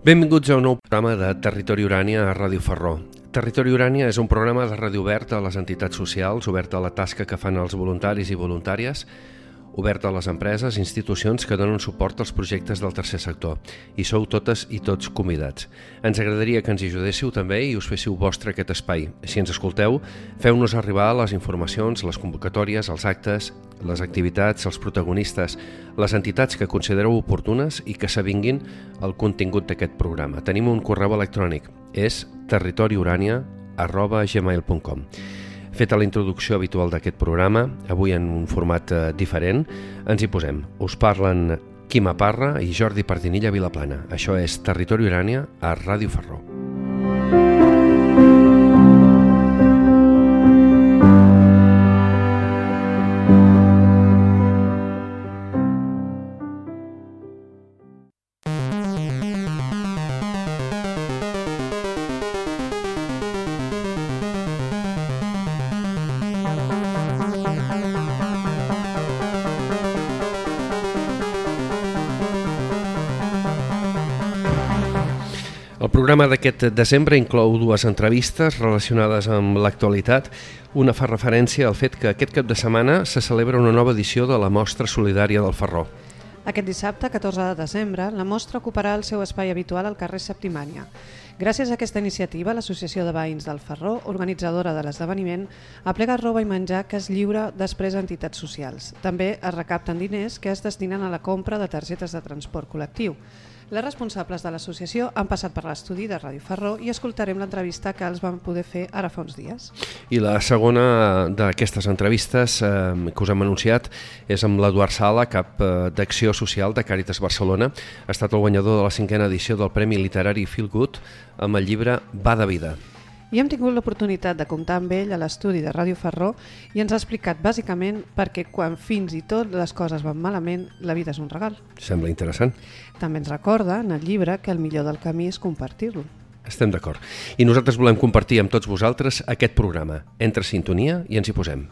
Benvinguts a un nou programa de Territori Urània a Ràdio Ferró. Territori Urània és un programa de ràdio obert a les entitats socials, obert a la tasca que fan els voluntaris i voluntàries, obert a les empreses i institucions que donen suport als projectes del tercer sector. I sou totes i tots convidats. Ens agradaria que ens hi ajudéssiu també i us féssiu vostre aquest espai. Si ens escolteu, feu-nos arribar les informacions, les convocatòries, els actes, les activitats, els protagonistes, les entitats que considereu oportunes i que s'avinguin el contingut d'aquest programa. Tenim un correu electrònic, és territoriurania@gmail.com. Feta la introducció habitual d'aquest programa, avui en un format diferent, ens hi posem. Us parlen Quima Parra i Jordi Pardinilla Vilaplana. Això és Territori Urània a Ràdio Ferró. El programa d'aquest desembre inclou dues entrevistes relacionades amb l'actualitat. Una fa referència al fet que aquest cap de setmana se celebra una nova edició de la Mostra Solidària del Ferró. Aquest dissabte, 14 de desembre, la mostra ocuparà el seu espai habitual al carrer Septimània. Gràcies a aquesta iniciativa, l'Associació de Veïns del Ferró, organitzadora de l'esdeveniment, aplega roba i menjar que es lliura després a entitats socials. També es recapten diners que es destinen a la compra de targetes de transport col·lectiu. Les responsables de l'associació han passat per l'estudi de Ràdio Ferró i escoltarem l'entrevista que els van poder fer ara fa uns dies. I la segona d'aquestes entrevistes que us hem anunciat és amb l'Eduard Sala, cap d'Acció Social de Càritas Barcelona. Ha estat el guanyador de la 5a edició del Premi Literari Feel Good amb el llibre Va de vida. I hem tingut l'oportunitat de comptar amb ell a l'estudi de Ràdio Ferró i ens ha explicat bàsicament perquè quan fins i tot les coses van malament, la vida és un regal. Sembla interessant. També ens recorda en el llibre que el millor del camí és compartir-lo. Estem d'acord. I nosaltres volem compartir amb tots vosaltres aquest programa. Entra sintonia i ens hi posem.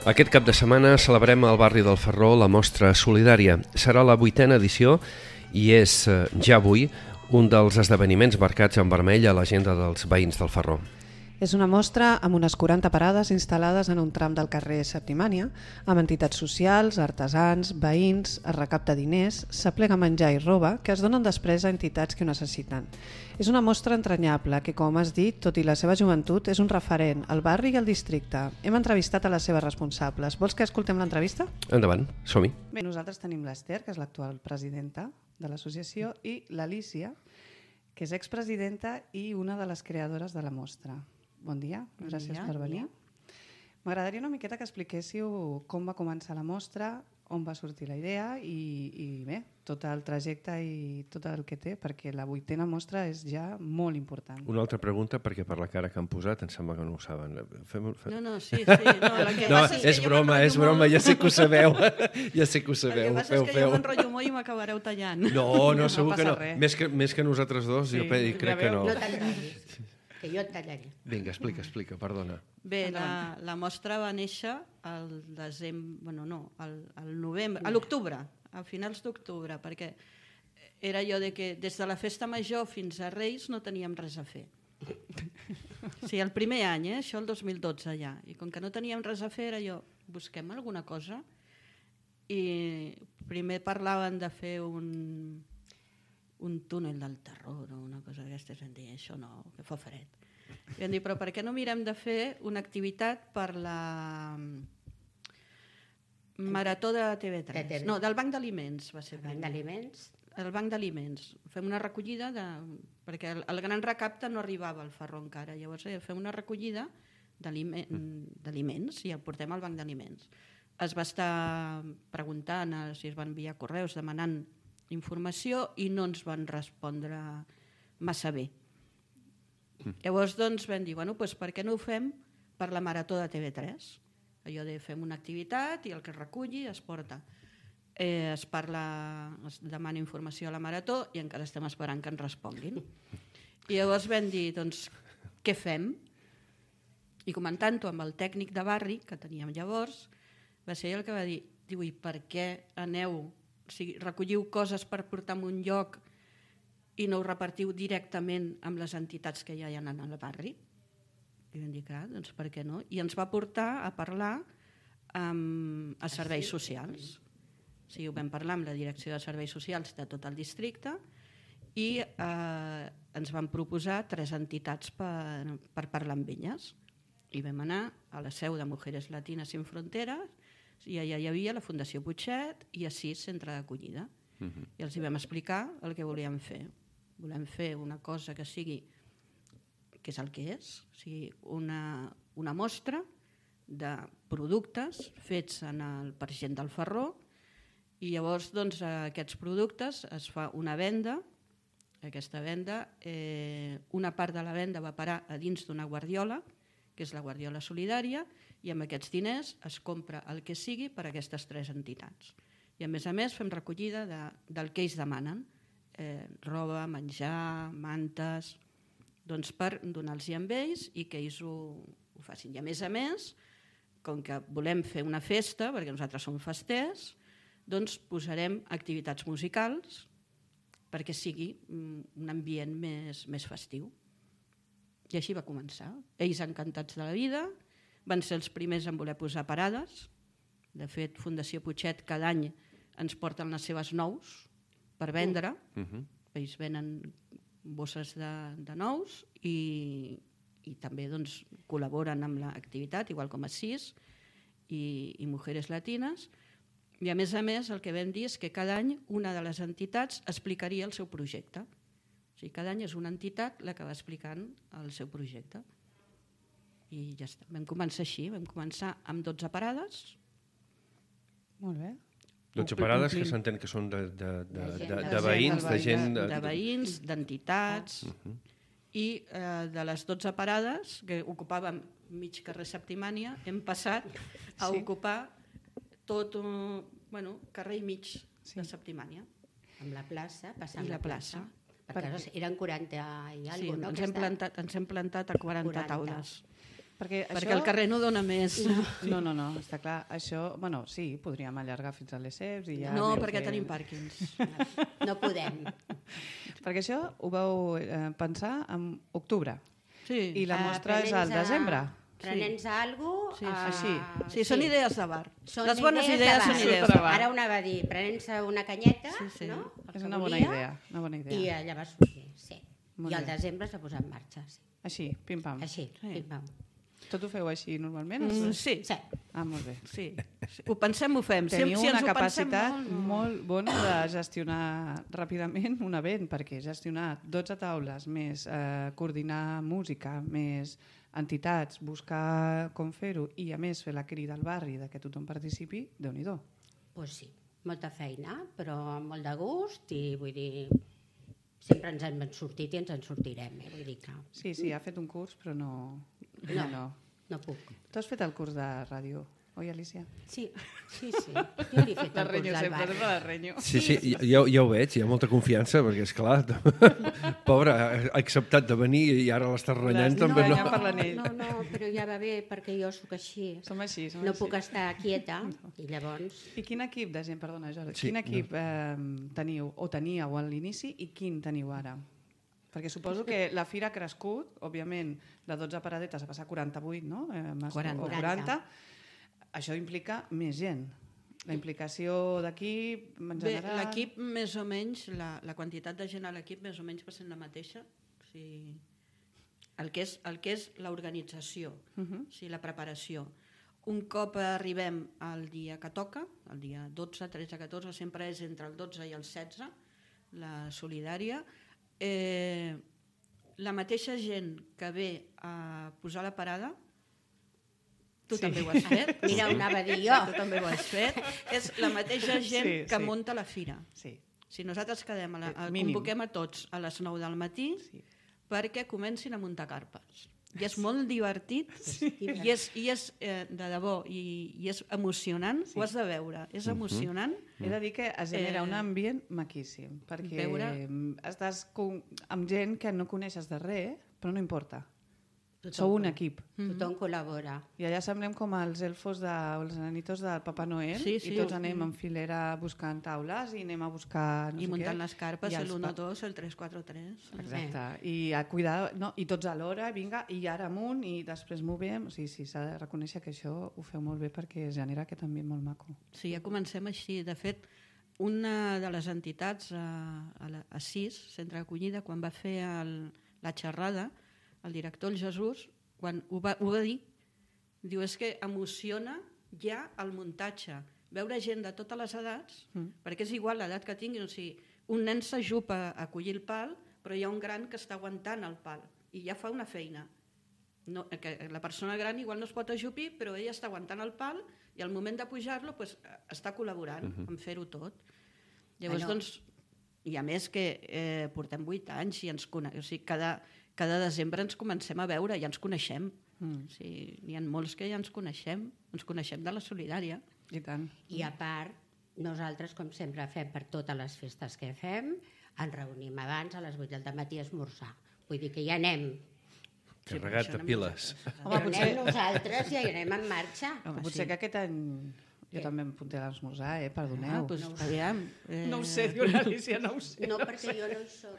Aquest cap de setmana celebrem al barri del Ferró la Mostra Solidària. Serà la 8a edició i és ja avui un dels esdeveniments marcats en vermell a l'agenda dels veïns del Ferró. És una mostra amb unes 40 parades instal·lades en un tram del carrer Septimània, amb entitats socials, artesans, veïns, es recapta diners, s'aplega menjar i roba que es donen després a entitats que ho necessiten. És una mostra entranyable que, com has dit, tot i la seva joventut, és un referent al barri i al districte. Hem entrevistat a les seves responsables. Vols que escoltem l'entrevista? Endavant, som-hi. Bé, nosaltres tenim l'Ester, que és l'actual presidenta de l'associació, i l'Alícia, que és expresidenta i una de les creadores de la mostra. Bon dia, gràcies per venir. M'agradaria una miqueta que expliquéssiu com va començar la mostra, on va sortir la idea i bé, tot el trajecte i tot el que té, perquè la 8a mostra és ja molt important. Una altra pregunta, perquè per la cara que han posat em sembla que no ho saben. No, sí. No, és broma, ja sé que ho sabeu. Ja sé que ho sabeu. El que passa és que jo m'enrotllo molt i m'acabareu tallant. No, segur que no. Més que nosaltres dos, jo crec que no. No tallaré, que jo et tallaré. Vinga, explica, perdona. Bé, la mostra va néixer al novembre, a l'octubre, a finals d'octubre, perquè era allò de que des de la festa major fins a Reis no teníem res a fer. Sí, el primer any, això el 2012 ja, i com que no teníem res a fer era allò, busquem alguna cosa, i primer parlaven de fer un túnel del terror o una cosa d'aquestes, vam dir, això no, que fa fred. I vam dir, però per què no mirem de fer una activitat per la Marató de TV3? No, del Banc d'Aliments va ser. El Banc d'Aliments? El Banc d'Aliments. Fem una recollida, perquè el gran recapte no arribava al Ferró encara, llavors fem una recollida d'aliments i el portem al Banc d'Aliments. Es va estar preguntant si es van enviar correus demanant informació i no ens van respondre massa bé. Llavors doncs vam dir, per què no ho fem per la Marató de TV3. Allò de fem una activitat i el que es reculli es porta. Es demana informació a la Marató i encara estem esperant que ens responguin. I llavors vam dir, doncs, què fem? I comentant-ho amb el tècnic de barri que teníem llavors, va ser el que va dir, i per què aneu, o sigui, recolliu coses per portar en un lloc i no ho repartiu directament amb les entitats que ja hi ha al barri? I vam dir, clar, doncs per què no? I ens va portar a parlar a serveis socials. O sigui, ho vam parlar amb la direcció de serveis socials de tot el districte i ens van proposar 3 entitats per parlar amb elles. I vam anar a la seu de Mujeres Latinas Sin Fronteras i allà hi havia la Fundació Putxet i Assís, centre d'acollida. I els hi vam explicar el que volíem fer. Volem fer una cosa que sigui, que és el que és, o sigui, una mostra de productes fets per gent del Ferró i llavors doncs, aquests productes es fa una venda. Aquesta venda, una part de la venda va parar a dins d'una guardiola, que és la Guardiola Solidària, i amb aquests diners es compra el que sigui per a aquestes 3 entitats. I a més fem recollida del que ells demanen, roba, menjar, mantes, doncs per donar-los amb ells i que ells ho facin. I a més, com que volem fer una festa, perquè nosaltres som festers, doncs posarem activitats musicals perquè sigui un ambient més festiu. I així va començar. Ells encantats de la vida, van ser els primers en voler posar parades. De fet, Fundació Putxet cada any ens porten les seves nous per vendre. Ells venen bosses de nous i també doncs, col·laboren amb l'activitat, igual com Assís i Mujeres Latinas. I a més, el que vam dir és que cada any una de les entitats explicaria el seu projecte. O sigui, cada any és una entitat la que va explicant el seu projecte. I ja està. Vam començar així, vam començar amb 12 parades. Molt bé. 12 parades que s'entén que són de veïns, de gent... De veïns, d'entitats. I de les 12 parades, que ocupàvem mig carrer Septimània, hem passat a ocupar tot carrer i mig de Septimània. Amb la plaça, passant la plaça. Perquè eren 40 i alguna cosa. Sí, ens hem plantat a 40 taules. Perquè el carrer no dona més. No, està clar. Això, sí, podríem allargar fins a les CEPs i ja... No, perquè tenim pàrquings. No podem. Perquè això ho vau pensar en octubre. Sí. I la mostra és al desembre. Prenents a alguna cosa... Sí, són idees de bar. Les bones idees són idees de bar. Ara una va dir, prenents una canyeta, no? És una bona idea. I allà va sortir, sí. I al desembre s'ha posat en marxa, sí. Així, pim-pam. Així, pim-pam. Tot ho feu així normalment? Sí. Ah, molt bé. Sí. Ho pensem, ho fem. Teniu una capacitat molt bona de gestionar ràpidament un event, perquè gestionar 12 taules, més coordinar música, més entitats, buscar com fer-ho i a més fer la crida al barri de que tothom participi, Déu-n'hi-do. Pues sí, molta feina, però amb molt de gust i vull dir... Sempre ens hem sortit i ens en sortirem, vull dir que... Sí, ha fet un curs, però no... No puc. Tu has fet el curs de ràdio, oi, Alicia? Sí. Jo li he fet el curs del barri. La renyo. Sí, ja ho veig, hi ha molta confiança, perquè és clar, pobre, ha acceptat de venir i ara l'estàs renyant també. No, però ja va bé, perquè jo sóc així. Som així. No puc estar quieta, i llavors... I quin equip de gent, perdona, Jordi, quin equip teniu o teníeu a l'inici i quin teniu ara? Perquè suposo que la fira ha crescut, òbviament, de 12 paradetes a passar a 48, no? 40. Això implica més gent. La implicació d'equip, en general... Bé, l'equip més o menys, la quantitat de gent a l'equip més o menys va sent la mateixa. O sigui, el que és l'organització, o sigui, la preparació. Un cop arribem al dia que toca, el dia 12, 13, 14, sempre és entre el 12 i el 16, la solidària, la mateixa gent que ve a posar la parada, tu també ho has fet. Mira, ho anava a dir jo. Tu també ho has fet. És la mateixa gent que munta la fira. Sí. Si nosaltres convoquem a tots a les 9 del matí perquè comencin a muntar carpes. i és molt divertit, i és de debò, i és emocionant, ho has de veure, és emocionant. He de dir que es genera un ambient maquíssim, perquè estàs amb gent que no coneixes de res, però no importa. Sou un equip. Tothom col·labora. I allà semblem com els elfos, els nanitos del Papa Noel, i tots anem en filera buscant taules i anem a buscar... I muntant les carpes, el 1-2, el 3-4-3. Exacte. I a cuidar, i tots alhora, vinga, i ara amunt, i després movem. Sí, s'ha de reconèixer que això ho feu molt bé perquè es genera aquest ambient molt maco. Sí, ja comencem així. De fet, una de les entitats a CIS, Centre d'Acollida, quan va fer la xerrada, el director, el Jesús, quan ho va dir, diu, és que emociona ja el muntatge. Veure gent de totes les edats, perquè és igual l'edat que tinguin, o sigui, un nen s'ajupa a collir el pal, però hi ha un gran que està aguantant el pal i ja fa una feina. No, que la persona gran igual no es pot ajupir, però ella està aguantant el pal i al moment de pujar-lo està col·laborant en fer-ho tot. Llavors, doncs, i a més que portem 8 anys i ens coneixem, o sigui, cada desembre ens comencem a veure, ja ens coneixem. N'hi ha molts que ja ens coneixem de la solidària. I tant. I a part, nosaltres, com sempre fem per totes les festes que fem, ens reunim abans a les 8 del matí a esmorzar. Vull dir que ja anem. Carregat de piles. Però anem nosaltres i ja anem en marxa. Potser que aquest any... Jo també em apunté a l'esmorzar, perdoneu. Aviam. No ho sé, diu l'Alicia, no ho sé. No, perquè jo no hi soc.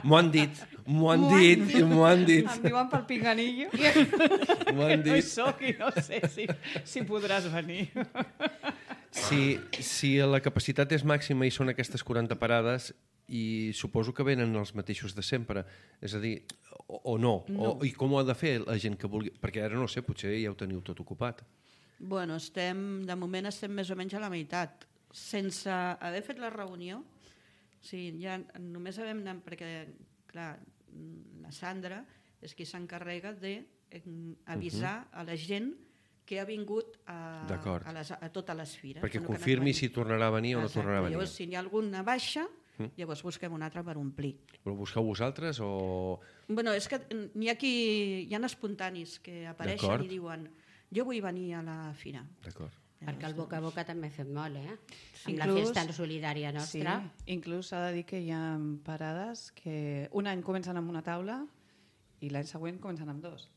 M'ho han dit. Em diuen pel pinganillo. M'ho han No hi dit. soc i no sé si podràs venir. Si la capacitat és màxima i són aquestes 40 parades, i suposo que venen els mateixos de sempre, és a dir, o no. I com ho ha de fer la gent que vulgui? Perquè ara no sé, potser ja ho teniu tot ocupat. Bueno, de moment estem més o menys a la meitat. Sense haver fet la reunió, ja només havem anat, perquè, clar, la Sandra és qui s'encarrega d'avisar a la gent que ha vingut a totes les fires. Perquè confirmi si tornarà a venir o no tornarà a venir. Llavors, si n'hi ha alguna baixa, llavors busquem una altra per omplir. Però busqueu vosaltres o...? Bueno, és que hi ha espontanis que apareixen i diuen jo vull venir a la fira. D'acord. Perquè el boca a boca també ha fet molt, Amb la festa solidària nostra. Sí, inclús s'ha de dir que hi ha parades que un any comencen amb una taula i l'any següent comencen amb 2.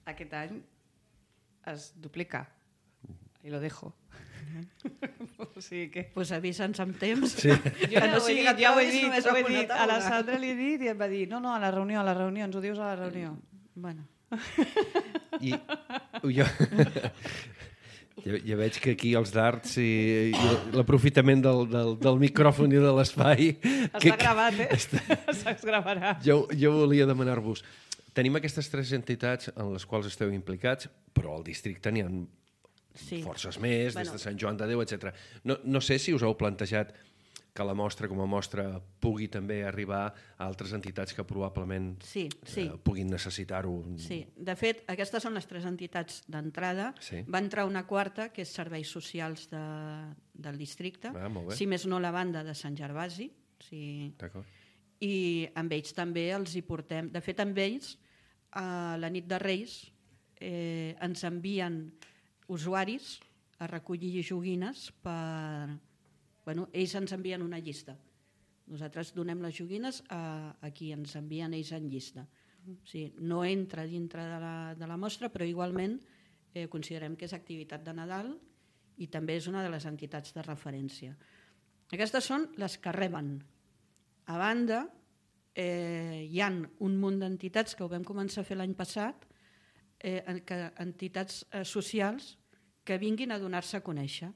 Aquest any es duplica. I lo dejo. O sigui que... Pues avisa'ns amb temps. Sí. Ja ho he dit. A la Sandra li he dit i em va dir no, a la reunió, ens ho dius a la reunió. Bueno. I ja veig que aquí els darts i l'aprofitament del micròfon i de l'espai... Està gravat, es gravarà. Jo volia demanar-vos, tenim aquestes 3 entitats en les quals esteu implicats, però al districte n'hi ha forces més, des de Sant Joan de Déu, etc. No sé si us heu plantejat que la mostra com a mostra pugui també arribar a altres entitats que probablement puguin necessitar-ho. Sí, de fet, aquestes són les 3 entitats d'entrada. Va entrar una quarta, que és Serveis Socials del districte, si més no la banda de Sant Gervasi. I amb ells també els hi portem... De fet, amb ells, a la nit de Reis, ens envien usuaris a recollir joguines per... ells ens envien una llista. Nosaltres donem les joguines a qui ens envien ells en llista. No entra dintre de la mostra, però igualment considerem que és activitat de Nadal i també és una de les entitats de referència. Aquestes són les que reben. A banda, hi ha un munt d'entitats que ho vam començar a fer l'any passat, entitats socials que vinguin a donar-se a conèixer.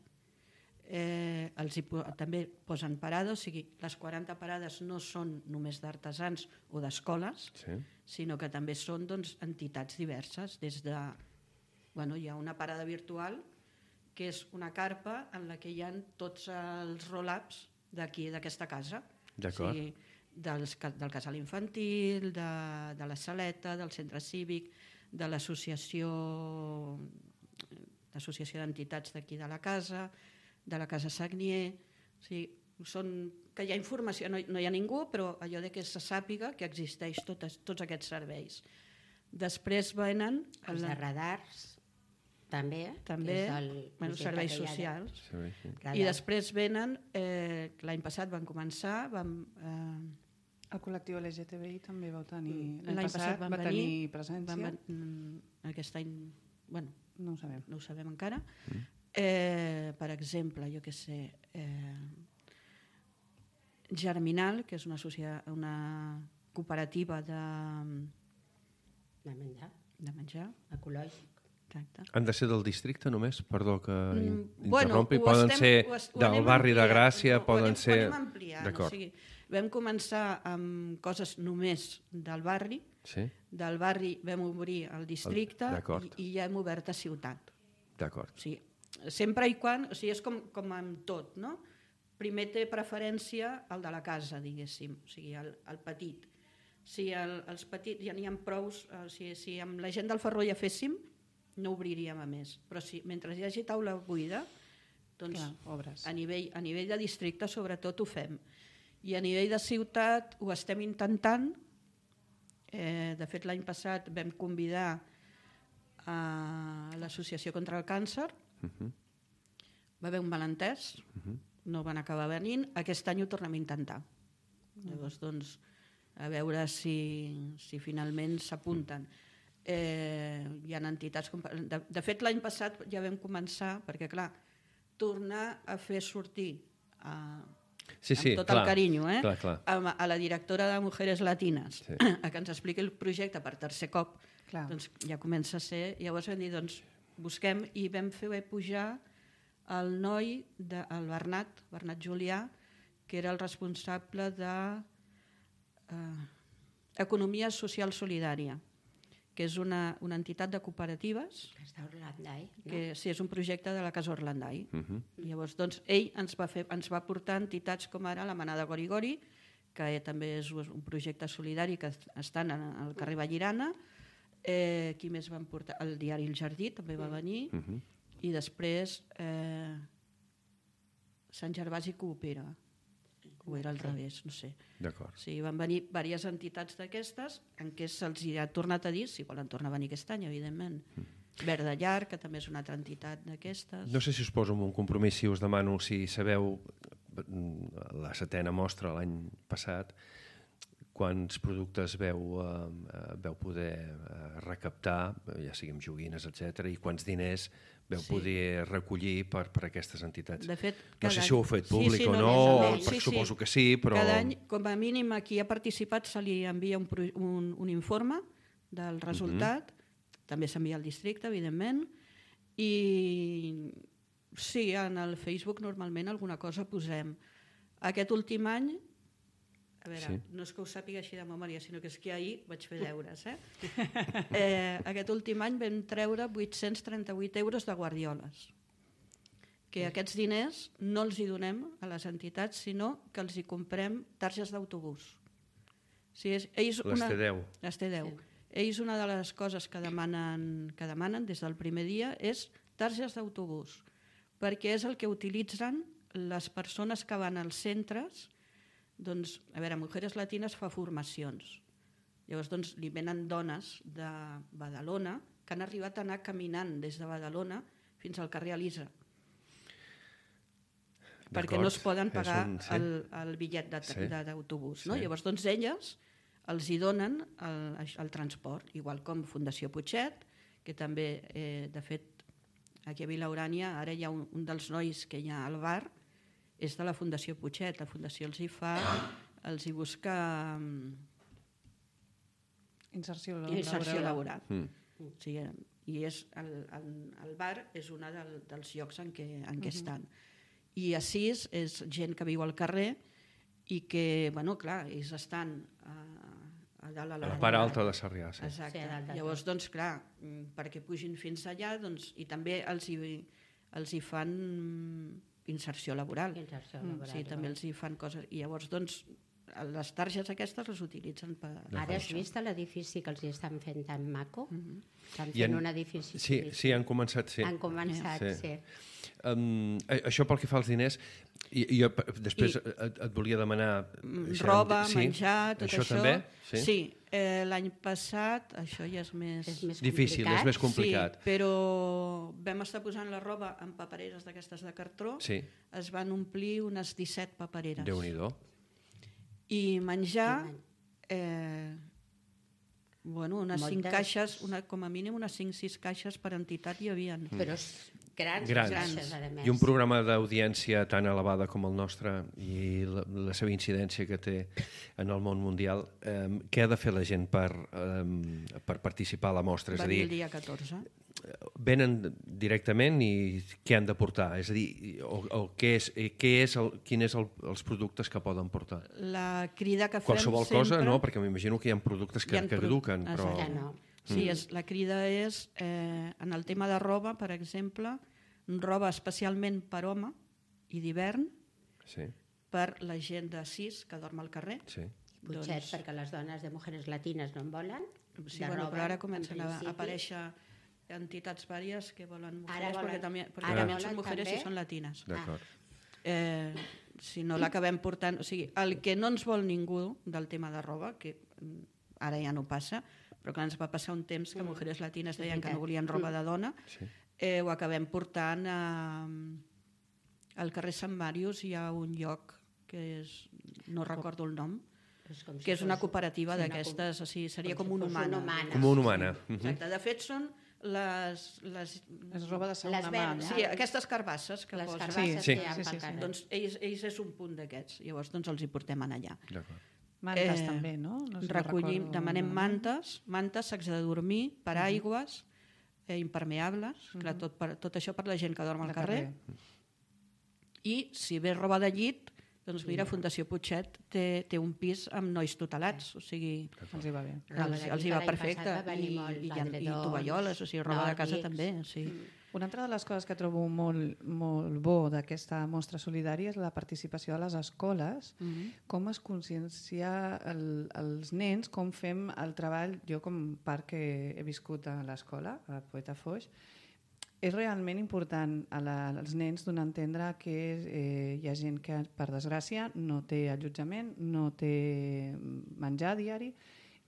També posen parades, o sigui, les 40 parades no són només d'artesans o d'escoles, sinó que també són entitats diverses. Hi ha una parada virtual que és una carpa en la que hi ha tots els roll-ups d'aquesta casa. Del casal infantil, de la saleta, del centre cívic, de l'associació d'entitats d'aquí de la casa, de la Casa Sagnier. que hi ha informació, no hi ha ningú, però allò de que se sàpiga que existeix tots aquests serveis. Després venen... Els de radars, també els serveis socials. I després venen, l'any passat van començar, el col·lectiu LGTBI també vau tenir... L'any passat va tenir presència. Aquest any, bueno, no ho sabem. No ho sabem encara. Per exemple, jo què sé, Germinal, que és una cooperativa de menjar. Ecològic. Exacte. Han de ser del districte només? Perdó que interrompi. Poden ser del barri de Gràcia, poden ser... Ho anem ampliant. O sigui, vam començar amb coses només del barri. Del barri vam obrir el districte i ja hem obert a ciutat. D'acord. O sigui, sempre i quan... O sigui, és com amb tot, no? Primer té preferència el de la casa, diguéssim, o sigui, el petit. Si els petits ja n'hi ha prous, si amb la gent del Ferró ja féssim, no obriríem a més. Però mentre hi hagi taula buida, doncs a nivell de districte sobretot ho fem. I a nivell de ciutat ho estem intentant. De fet, l'any passat vam convidar a l'Associació contra el Càncer. Va haver un malentès, no van acabar venint. Aquest any ho tornem a intentar. Llavors, doncs, a veure si finalment s'apunten. Hi ha entitats... De fet, l'any passat ja vam començar, perquè, clar, tornar a fer sortir amb tot el carinyo a la directora de Mujeres Latinas a que ens expliqui el projecte per tercer cop, doncs ja comença a ser... Llavors vam dir, doncs, busquem, i vam fer pujar el noi, el Bernat Julià, que era el responsable de Economia Social Solidària, que és una entitat de cooperatives. Casa Orlandai. Sí, és un projecte de la Casa Orlandai. Llavors, doncs, ell ens va portar entitats com ara la Manada Gori Gori, que també és un projecte solidari que estan al carrer Vallirana. Qui més van portar? El diari El Jardí també va venir. I després Sant Gervasi Coopera. O era al revés, no sé. D'acord. Sí, van venir diverses entitats d'aquestes en què se'ls ha tornat a dir, si volen tornar a venir aquest any, evidentment. Verd de Llar, que també és una altra entitat d'aquestes. No sé si us poso en un compromís, si us demano si sabeu la 7a mostra l'any passat, quants productes veu poder recaptar, ja sigui amb joguines, etc., i quants diners veu poder recollir per aquestes entitats. De fet, no sé si ho heu fet públic o no, suposo que sí, però... Cada any, com a mínim, a qui ha participat se li envia un informe del resultat, també s'envia al districte, evidentment, i sí, en el Facebook normalment alguna cosa posem. Aquest últim any, a veure, no és que ho sàpiga així de memòria, sinó que és que ahir vaig fer deures. Aquest últim any vam treure 838 euros de guardioles, que aquests diners no els hi donem a les entitats, sinó que els hi comprem targes d'autobús. Les T10. Les T10. Ells una de les coses que demanen des del primer dia és targes d'autobús, perquè és el que utilitzen les persones que van als centres. Doncs, a veure, Mujeres Latinas fa formacions. Llavors, doncs, li venen dones de Badalona que han arribat a anar caminant des de Badalona fins al carrer Elisa. Perquè no es poden pagar el bitllet d'autobús. Llavors, doncs, elles els hi donen el transport, igual com Fundació Putxet, que també, de fet, aquí a Vilaurània, ara hi ha un dels nois que hi ha al bar, és de la Fundació Putxet. La Fundació els hi busca inserció laboral. I el bar és un dels llocs en què estan. I així és gent que viu al carrer i que, bueno, clar, ells estan a dalt a la part alta de Sarrià. Exacte. Llavors, doncs, clar, perquè pugin fins allà, i també els hi fan inserció laboral. Sí, també els hi fan coses. I llavors, doncs, les targes aquestes les utilitzen per... Ara has vist l'edifici que els hi estan fent tan maco? Estan fent un edifici... Sí, han començat, sí. Han començat, sí. Això pel que fa als diners, jo després et volia demanar... Roba, menjar, tot això. Això també? Sí, l'any passat això ja és més... Difícil, és més complicat. Sí, però vam estar posant la roba en papereres d'aquestes de cartró, es van omplir unes 17 papereres. Déu-n'hi-do. I menjar, unes 5 caixes, com a mínim unes 5-6 caixes per entitat hi havia. Però grans. I un programa d'audiència tan elevada com el nostre i la seva incidència que té en el món mundial, què ha de fer la gent per participar a la mostra? Venir el dia 14. Venen directament i què han de portar? És a dir, quins són els productes que poden portar? La crida que fem qualsevol sempre... cosa, no? Perquè m'imagino que hi ha productes que caduquen. Però... Sí, la crida és, en el tema de roba, per exemple, roba especialment per home i d'hivern, per la gent de 6 que dorm al carrer. Potser perquè les dones de Mujeres Latines no en volen. Sí, però ara comencen a aparèixer entitats vàries que volen mujeres, perquè també són mujeres i són latines. Si no l'acabem portant... O sigui, el que no ens vol ningú del tema de roba, que ara ja no passa, però que ens va passar un temps que mujeres latines deien que no volien roba de dona, ho acabem portant al carrer Sant Màrius. Hi ha un lloc que és, no recordo el nom, que és una cooperativa d'aquestes, seria com una humana. Com una humana. Exacte, de fet són les roba de segona mà. Sí, aquestes carbasses que les posen. carbasses que hi ha pel carrer. Doncs ells és un punt d'aquests, llavors els hi portem allà. Mantes també, no? Recollim, demanem mantes, sacs de dormir, paraigües, impermeables, tot això per la gent que dorm al carrer. I si ve roba de llit, doncs mira, Fundació Putxet té un pis amb nois tutelats, o sigui... Els hi va bé. Els hi va perfecte. I tovalloles, o sigui, roba de casa també. Una altra de les coses que trobo molt bo d'aquesta mostra solidària és la participació de les escoles, com es consciencia els nens, com fem el treball. Jo, com part que he viscut a l'escola, a Poeta Foix, és realment important als nens donar a entendre que hi ha gent que, per desgràcia, no té allotjament, no té menjar diari,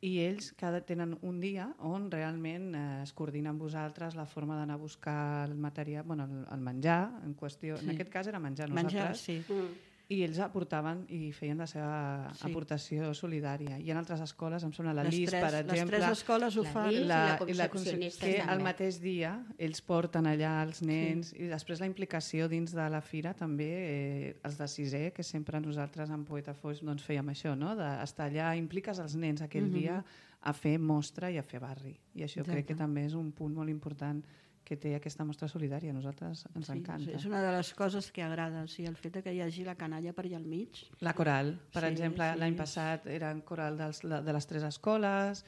i ells tenen un dia on realment es coordina amb vosaltres la forma d'anar a buscar el material, el menjar en qüestió. En aquest cas era menjar nosaltres. I ells aportaven i feien la seva aportació solidària. I en altres escoles, em sembla la LIS, per exemple... Les 3 escoles ho fan. I la Concepcionista que el mateix dia ells porten allà els nens i després la implicació dins de la fira també, els de 6è, que sempre nosaltres en Poeta Foix fèiem això, d'estar allà, impliques els nens aquell dia a fer mostra i a fer barri. I això crec que també és un punt molt important que té aquesta mostra solidària. A nosaltres ens encanta. És una de les coses que agrada, el fet que hi hagi la canalla per allà al mig. La coral, per exemple, l'any passat eren coral de les 3 escoles,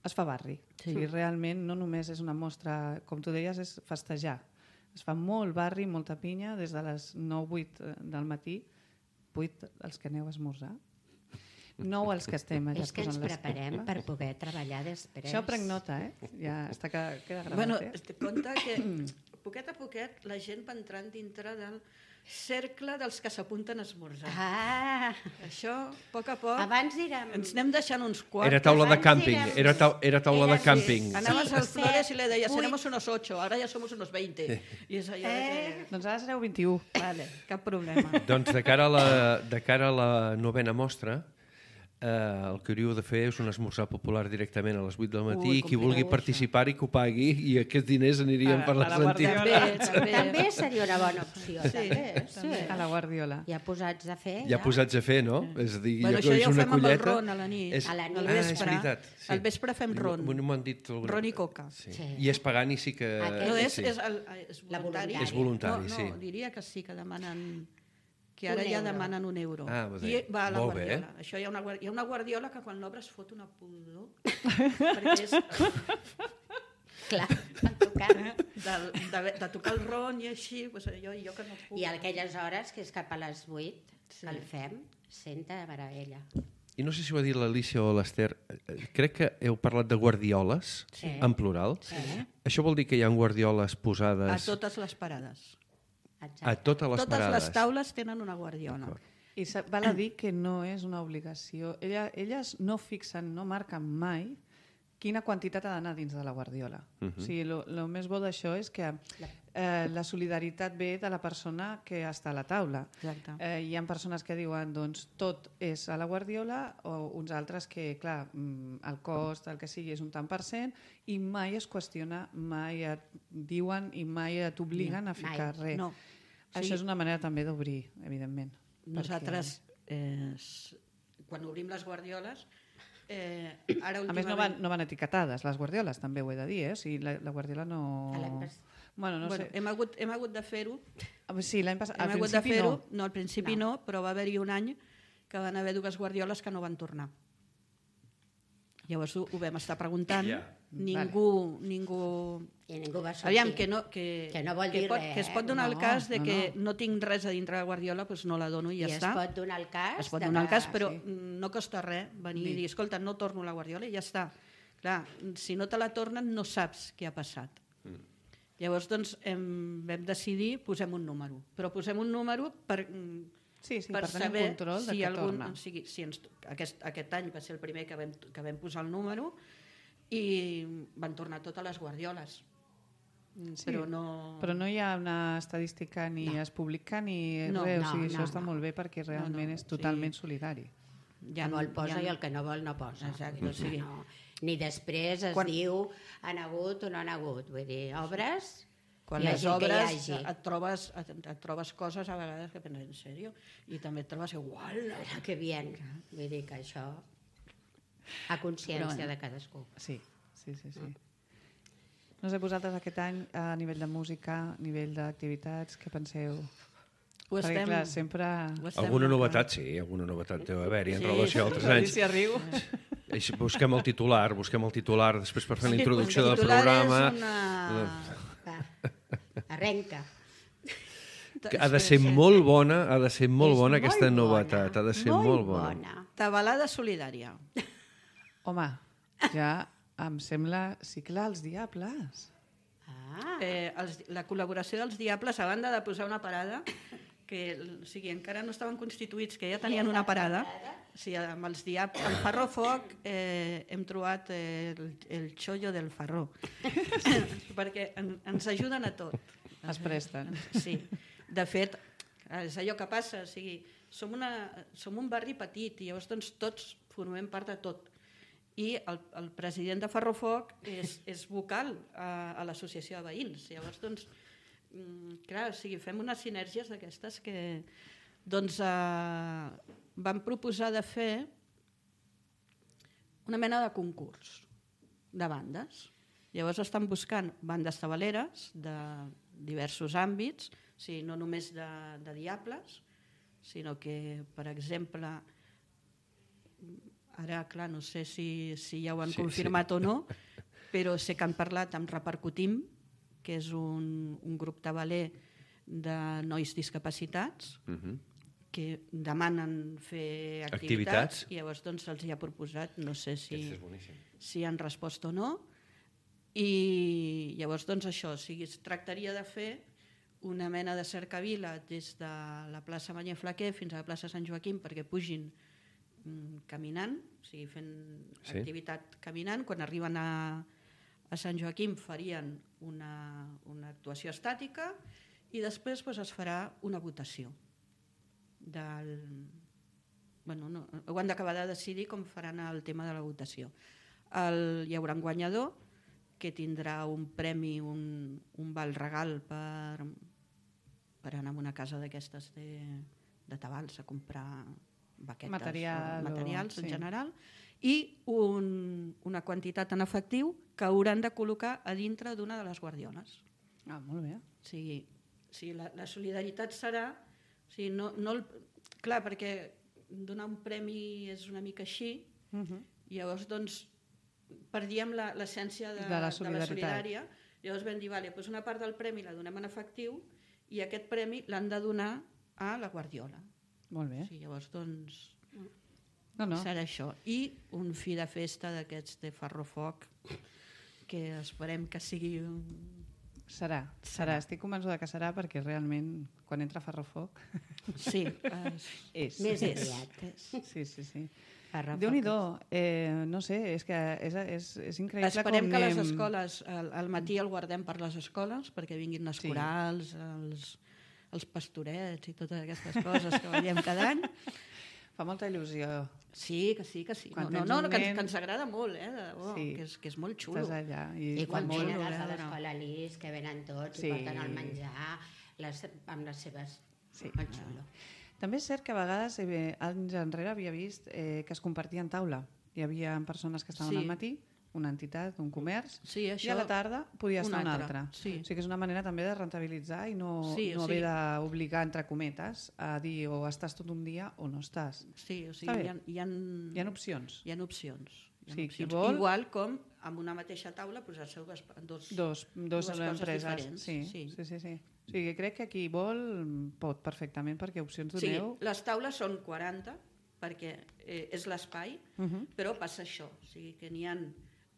es fa barri. Realment no només és una mostra, com tu deies, és festejar. Es fa molt barri, molta pinya, des de les 9-8 del matí, 8 els que aneu a esmorzar, 9 els que estem allà. És que ens preparem per poder treballar després. Això prenc nota, ja està, queda gravat. Bueno, compte que poquet a poquet la gent va entrant dintre del cercle dels que s'apunten a esmorzar. Això, a poc, abans érem... ens anem deixant uns quarts. Era taula de càmping, era taula de càmping. Anaves al Flores i le deies, seremos unos 8, ara ja somos unos 20. I és allò que... Doncs ara sereu 21. Vale, cap problema. Doncs de cara a la 9a mostra, el que hauríeu de fer és un esmorzar popular directament a les 8 del matí i qui vulgui participar i que ho pagui i aquests diners anirien per les entitats. També seria una bona opció. A la Guardiola. Ja posats a fer. Ja posats a fer, no? És a dir, això ja ho fem amb el ron a la nit. Al vespre. Al vespre fem ron. M'han dit ron i coca. I és pagant i sí que... No, és voluntari. És voluntari, sí. No, diria que sí, que demanen... que ara ja demanen €1. I va a la Guardiola. Això hi ha una Guardiola que quan l'obres fot una pudor, perquè és... Clar, de tocar el ron i així, jo que no puc... I a aquelles hores, que és cap a les 8, el fem, senta de meravella. I no sé si ho ha dit l'Alicia o l'Ester, crec que heu parlat de guardioles, en plural. Sí. Això vol dir que hi ha guardioles posades... A totes les parades. A totes les Totes parades. les taules tenen una guardiola. I val a dir que no és una obligació. Elles no fixen, no marquen mai quina quantitat ha d'anar dins de la guardiola. O sigui, el més bo d'això és que la solidaritat ve de la persona que està a la taula. Exacte. Hi ha persones que diuen doncs, tot és a la guardiola o uns altres que, clar, el cost, el que sigui, és un tant per cent i mai es qüestiona, mai et diuen i mai t'obliguen a ficar res. No. Això és una manera també d'obrir, evidentment. Nosaltres, quan obrim les guardioles, ara A més, no van etiquetades, les guardioles, també ho he de dir, O sigui, la guardiola no... Bueno, no sé. Hem hagut de fer-ho. Sí, l'any passat, al Hem hagut de principi fer-ho. no. No, al principi no, però va haver-hi un any que van haver 2 guardioles que no van tornar. Llavors ho vam estar preguntant. Ningú... I ningú va sortir. Aviam, que no vol dir res. Que es pot donar el cas de que no tinc res a dintre la guardiola, doncs no la dono i ja està. I es pot donar el cas. Es pot donar el cas, però no costa res venir i dir, escolta, no torno la guardiola i ja està. Clar, si no te la tornen no saps què ha passat. Llavors, doncs, vam decidir, posem un número. Però posem un número per per tenir saber control de si que algun... torna. O sigui, aquest any va ser el primer que vam posar el número i van tornar totes les guardioles. Sí, però no hi ha una estadística ni es publica ni res, o sigui, això està molt bé perquè realment és totalment solidari. Ja vol posa i el que no vol no posa. Exacte, o sigui... Ni després es diu han hagut o no han hagut. Vull dir, obres... Quan les obres et trobes coses a vegades que penses, en sèrio? I també et trobes igual. Que bien. Vull dir que això... A consciència de cadascú. Sí. No sé, vosaltres aquest any, a nivell de música, a nivell d'activitats, què penseu? Perquè, clar, sempre... Alguna novetat, sí, alguna novetat deu haver-hi en relació a altres anys. Alicia riu. Busquem el titular, després per fer la introducció del programa... Arrenca. Ha de ser molt bona, aquesta novetat, ha de ser molt bona. Tabalada solidària. Home, ja em sembla... Sí, clar, els Diables. La col·laboració dels Diables, a banda de posar una parada, que encara no estaven constituïts, que ja tenien una parada, amb els Diables, el Farró Foc hem trobat el xollo del Farró, perquè ens ajuden a tot. Es presten. Sí, de fet, és allò que passa, som un barri petit i llavors doncs, tots formem part de tot. I el president de Farrofoc és vocal a l'associació de veïns. Llavors, doncs, clar, fem unes sinergies d'aquestes que doncs, vam proposar de fer una mena de concurs de bandes. Llavors estan buscant bandes tabaleres de diversos àmbits, no només de Diables, sinó que, per exemple, ara, clar, no sé si ja ho han confirmat o no, però sé que han parlat amb Repercutim, que és un grup tabaler de nois discapacitats, que demanen fer activitats i llavors doncs, se'ls ha proposat, no sé si han respost o no, i llavors doncs, això, es tractaria de fer una mena de cercavila des de la plaça Manyer Flaquer fins a la plaça Sant Joaquim perquè pugin caminant, fent activitat caminant. Quan arriben a Sant Joaquim farien una actuació estàtica i després es farà una votació. Ho han d'acabar de decidir com faran el tema de la votació. Hi haurà un guanyador que tindrà un premi, un val regal per anar a una casa d'aquestes de tabals a comprar baquetes, materials en general, i una quantitat en efectiu que hauran de col·locar a dintre d'una de les guardioles. Molt bé. La solidaritat serà... Clar, perquè donar un premi és una mica així, i llavors doncs perdíem l'essència de la solidària. Llavors vam dir, una part del premi la donem en efectiu i aquest premi l'han de donar a la guardiola. Molt bé. Llavors, doncs... Serà això. I un fi de festa d'aquests de Ferrofoc, que esperem que sigui... Serà. Estic convençuda que serà perquè realment quan entra Ferrofoc... Sí. És. Més aviat. Sí. Ferrofoc. Déu-n'hi-do. No sé, és que és increïble Esperem com que anem... les escoles, al matí el guardem per les escoles, perquè vinguin les corals, els pastorets i totes aquestes coses que veiem cada any. Fa molta il·lusió. Sí, que sí. Que ens agrada molt, que és molt xulo. Estàs allà. I quan molt venen xulo, els de l'escola Lis, que venen tots i porten el menjar amb les seves... Sí. Molt xulo. També és cert que a vegades, anys enrere, havia vist que es compartien taula. Hi havia persones que estaven al matí, una entitat, un comerç, i a la tarda podia estar una altra. Sí. O sigui que és una manera també de rentabilitzar i no haver d'obligar, entre cometes, a dir o estàs tot un dia o no estàs. Sí, o sigui, hi ha opcions. Hi ha opcions. Sí, qui vol... Igual com amb una mateixa taula posar-se dues empreses diferents. Sí. O sigui, crec que qui vol pot perfectament, perquè opcions doneu... Sí, les taules són 40, perquè és l'espai, però passa això. O sigui, que n'hi ha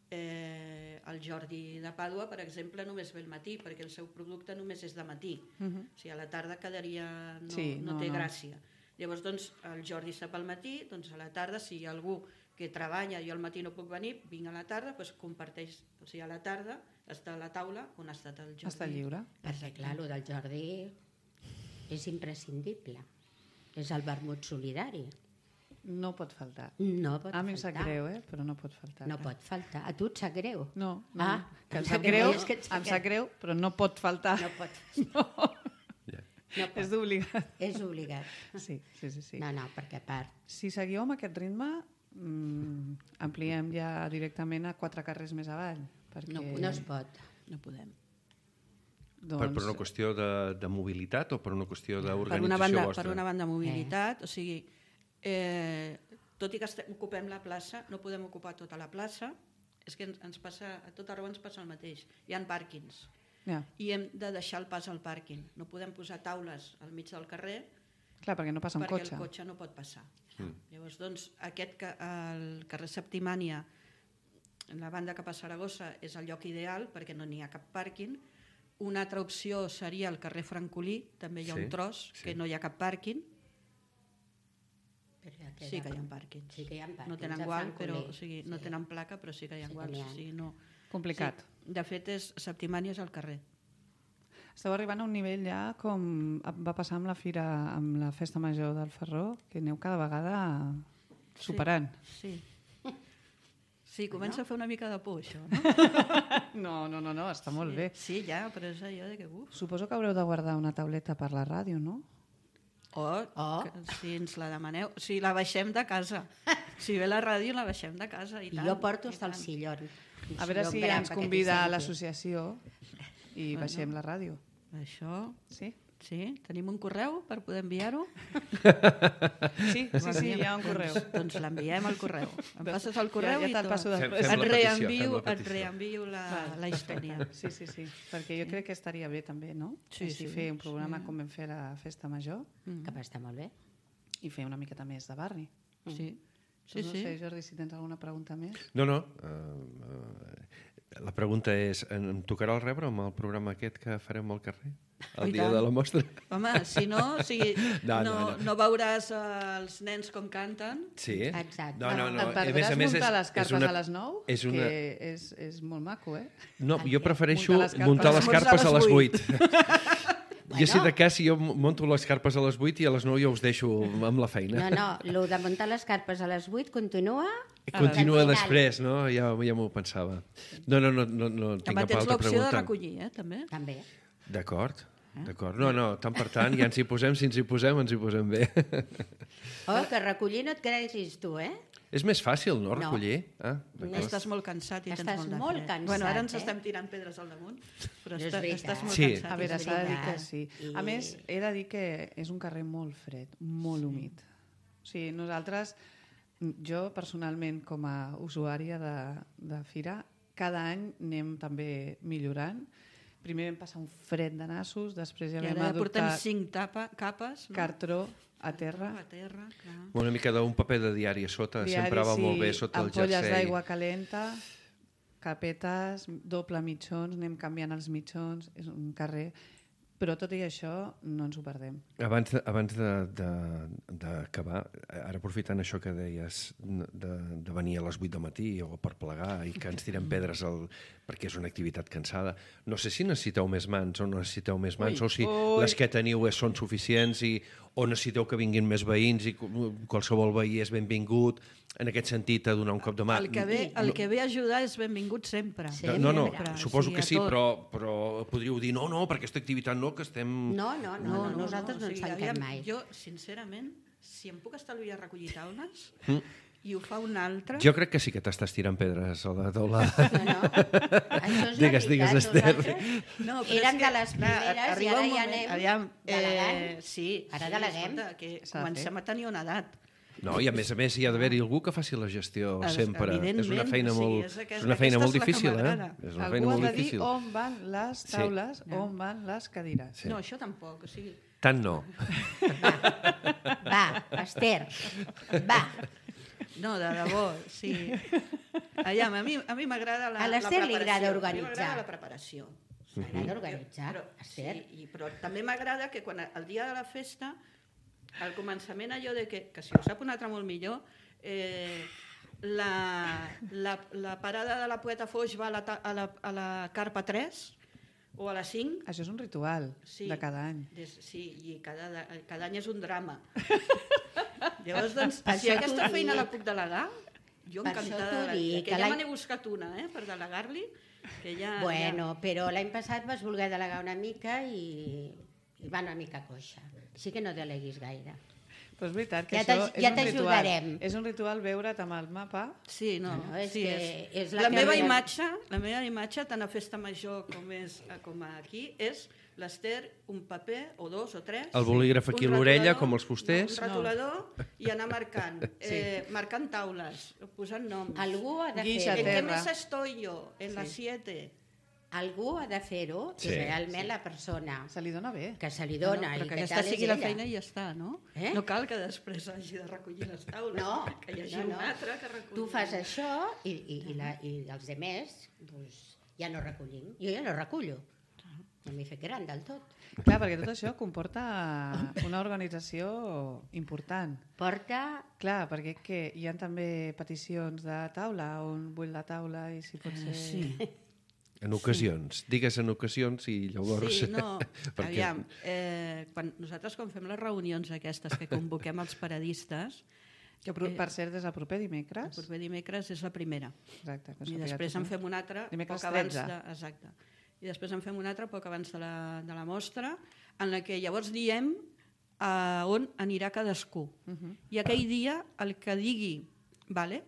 el Jordi de Pàdua, per exemple, només ve al matí, perquè el seu producte només és de matí. O sigui, a la tarda quedaria... No té gràcia. Llavors, doncs, el Jordi sap al matí, doncs a la tarda, si hi ha algú que treballa i al matí no puc venir, vinc a la tarda, doncs comparteix, o sigui, a la tarda està a la taula on ha estat el Jordi. Està lliure. Perquè, clar, el del Jordi és imprescindible. És el vermut solidari. No pot faltar. No pot faltar. A mi em sap greu, però no pot faltar. No pot faltar. A tu et sap greu? No. Que em sap greu, però no pot faltar. No pot. No. És d'obligat. És obligat. Sí. No, perquè a part... Si seguiu amb aquest ritme, ampliem ja directament a 4 carrers més avall. Perquè... No es pot. No podem. Doncs... Per una qüestió de mobilitat o per una qüestió d'organització vostra? Per una banda, mobilitat. O sigui, tot i que ocupem la plaça, no podem ocupar tota la plaça. És que ens passa, a tot arreu ens passa el mateix. Hi ha pàrquings. I hem de deixar el pas al pàrquing. No podem posar taules al mig del carrer. Clar, perquè no passa un cotxe. Perquè el cotxe no pot passar. Llavors, doncs, el carrer Septimània, la banda cap a Saragossa, és el lloc ideal perquè no n'hi ha cap pàrquing. Una altra opció seria el carrer Francolí, també hi ha un tros que no hi ha cap pàrquing. Sí que hi ha pàrquings. Sí que hi ha pàrquings. No tenen gual, però, o sigui, no tenen placa, però sí que hi ha guals. O sigui, no... Complicat. Sí. De fet, Septimània és el carrer. Esteu arribant a un nivell ja com va passar amb la fira, amb la festa major del Ferró, que aneu cada vegada superant. Sí, comença a fer una mica de por, això, no? No, està molt bé. Sí, ja, però és allò de que... Suposo que haureu de guardar una tauleta per la ràdio, no? Si ens la demaneu. Si la baixem de casa. Si ve la ràdio, la baixem de casa. I tant, jo porto hasta el sillón. A veure si ens convida a l'associació i baixem la ràdio. Això... Sí? Sí? Tenim un correu per poder enviar-ho? Sí, hi ha un correu. Doncs l'enviem al correu. Em passes el correu i et reenvio la història. Sí, perquè jo crec que estaria bé també, no? Sí. Fer un programa com vam fer a la Festa Major. Que va estar molt bé. I fer una miqueta més de barri. Sí. No sé, Jordi, si tens alguna pregunta més. No. La pregunta és, em tocarà el rebre amb el programa aquest que farem al carrer? El dia de la mostra? Home, si no, no veuràs els nens com canten. Sí? Exacte. No. Et perdràs muntar les carpes a les 9, que és molt maco, No, jo prefereixo muntar les carpes a les 8. Jo, si de cas, jo monto les carpes a les 8 i a les 9 jo us deixo amb la feina. No, el de muntar les carpes a les 8 continua... Continua després, no? Ja m'ho pensava. No, tinc cap altra pregunta. Tens l'opció de recollir, també? També. D'acord. No, tant per tant, ja ens hi posem, si ens hi posem, ens hi posem bé. Que recollir no et creguis tu, És més fàcil, no, recollir? Estàs molt cansat i tens molt de fred. Estàs molt cansat, Bueno, ara ens estem tirant pedres al damunt, però estàs molt cansat. A veure, s'ha de dir que sí. A més, he de dir que és un carrer molt fred, molt humit. O sigui, nosaltres, jo personalment, com a usuària de fira, cada any anem també millorant. Primer vam passar un fred de nassos, després ja vam adoptar... portem 5 capes. Cartró, a terra. A terra, clar. Una mica d'un paper de diari a sota, sempre va molt bé sota el ampolles jersei. d'aigua calenta, capetes, doble mitjons, anem canviant els mitjons, és un carrer... Però tot i això no ens ho perdem. Abans d'acabar, ara aprofitant això que deies de venir a les 8 del matí o per plegar i que ens tirem pedres perquè és una activitat cansada, no sé si necessiteu més mans o no necessiteu més mans o si les que teniu són suficients o necessiteu que vinguin més veïns i qualsevol veí és benvingut, en aquest sentit a donar un cop de mà. El que ve a ajudar és benvingut sempre. No, suposo que sí, però podríeu dir no, per aquesta activitat no, que estem... No, nosaltres no ens tanquem mai. Jo, sincerament, si em puc estalviar recollir taules i ho fa un altre... Jo crec que sí que t'estàs tirant pedres a la taula. No, això és Digues, Esther. No, eren de les primeres i ara ja anem delegant. Sí, ara deleguem. Que comencem a tenir una edat. No, i a més hi ha d'haver-hi algú que faci la gestió sempre. És una feina és molt difícil, És una feina molt difícil. Algú ha de dir on van les taules, on van les cadires. No, això tampoc, o sigui... Tant no. Va, Esther, va. No, de debò, sí. Aviam, a mi m'agrada la preparació. A l'Esther li agrada organitzar. A mi m'agrada la preparació. M'agrada organitzar, Esther. Sí, però també m'agrada que quan el dia de la festa, al començament allò de que si ho sap un altre molt millor, la parada de la Poeta Foix va a la Carpa 3 o a la 5. Això és un ritual de cada any. Sí, i cada any és un drama. Llavors, doncs, si aquesta feina la puc delegar, jo encantada. Que ja me n'he buscat una, per delegar-li. Bueno, però l'any passat vas voler delegar una mica i va una mica coixa. Sí que no deleguis gaire. Però és veritat que ja això és un ritual. És un ritual veure't amb el mapa. Sí, no. És la meva imatge, tant a Festa Major com aquí, és l'Esther, un paper, o dos, o tres... El bolígraf aquí a l'orella, com els fusters. Un retolador i anar marcant. Marcant taules, posant noms. Algú ha de fer-ho. ¿En qué mesa estoy yo? En la 7. Algú ha de fer-ho i realment la persona... Se li dona bé. Que se li dona. Però que aquesta sigui la feina i ja està, no? No cal que després hagi de recollir les taules. No. Que hi hagi un altre que reculli. Tu fas això i els altres ja no recollim. Jo ja no recullo. No m'he fet gran del tot. Clar, perquè tot això comporta una organització important. Clar, perquè hi ha també peticions de taula, on vull la taula i si pot ser... Sí. En ocasions. Digues en ocasions i llavors... Sí, no. Aviam, nosaltres quan fem les reunions aquestes que convoquem els paradistes... Que per cert és el proper dimecres. El proper dimecres és la primera. Exacte. I després en fem una altra... Dimecres 13. Exacte. I després en fem una altra poc abans de la mostra, en la que llavors diem on anirà cadascú. I aquell dia el que digui, vale?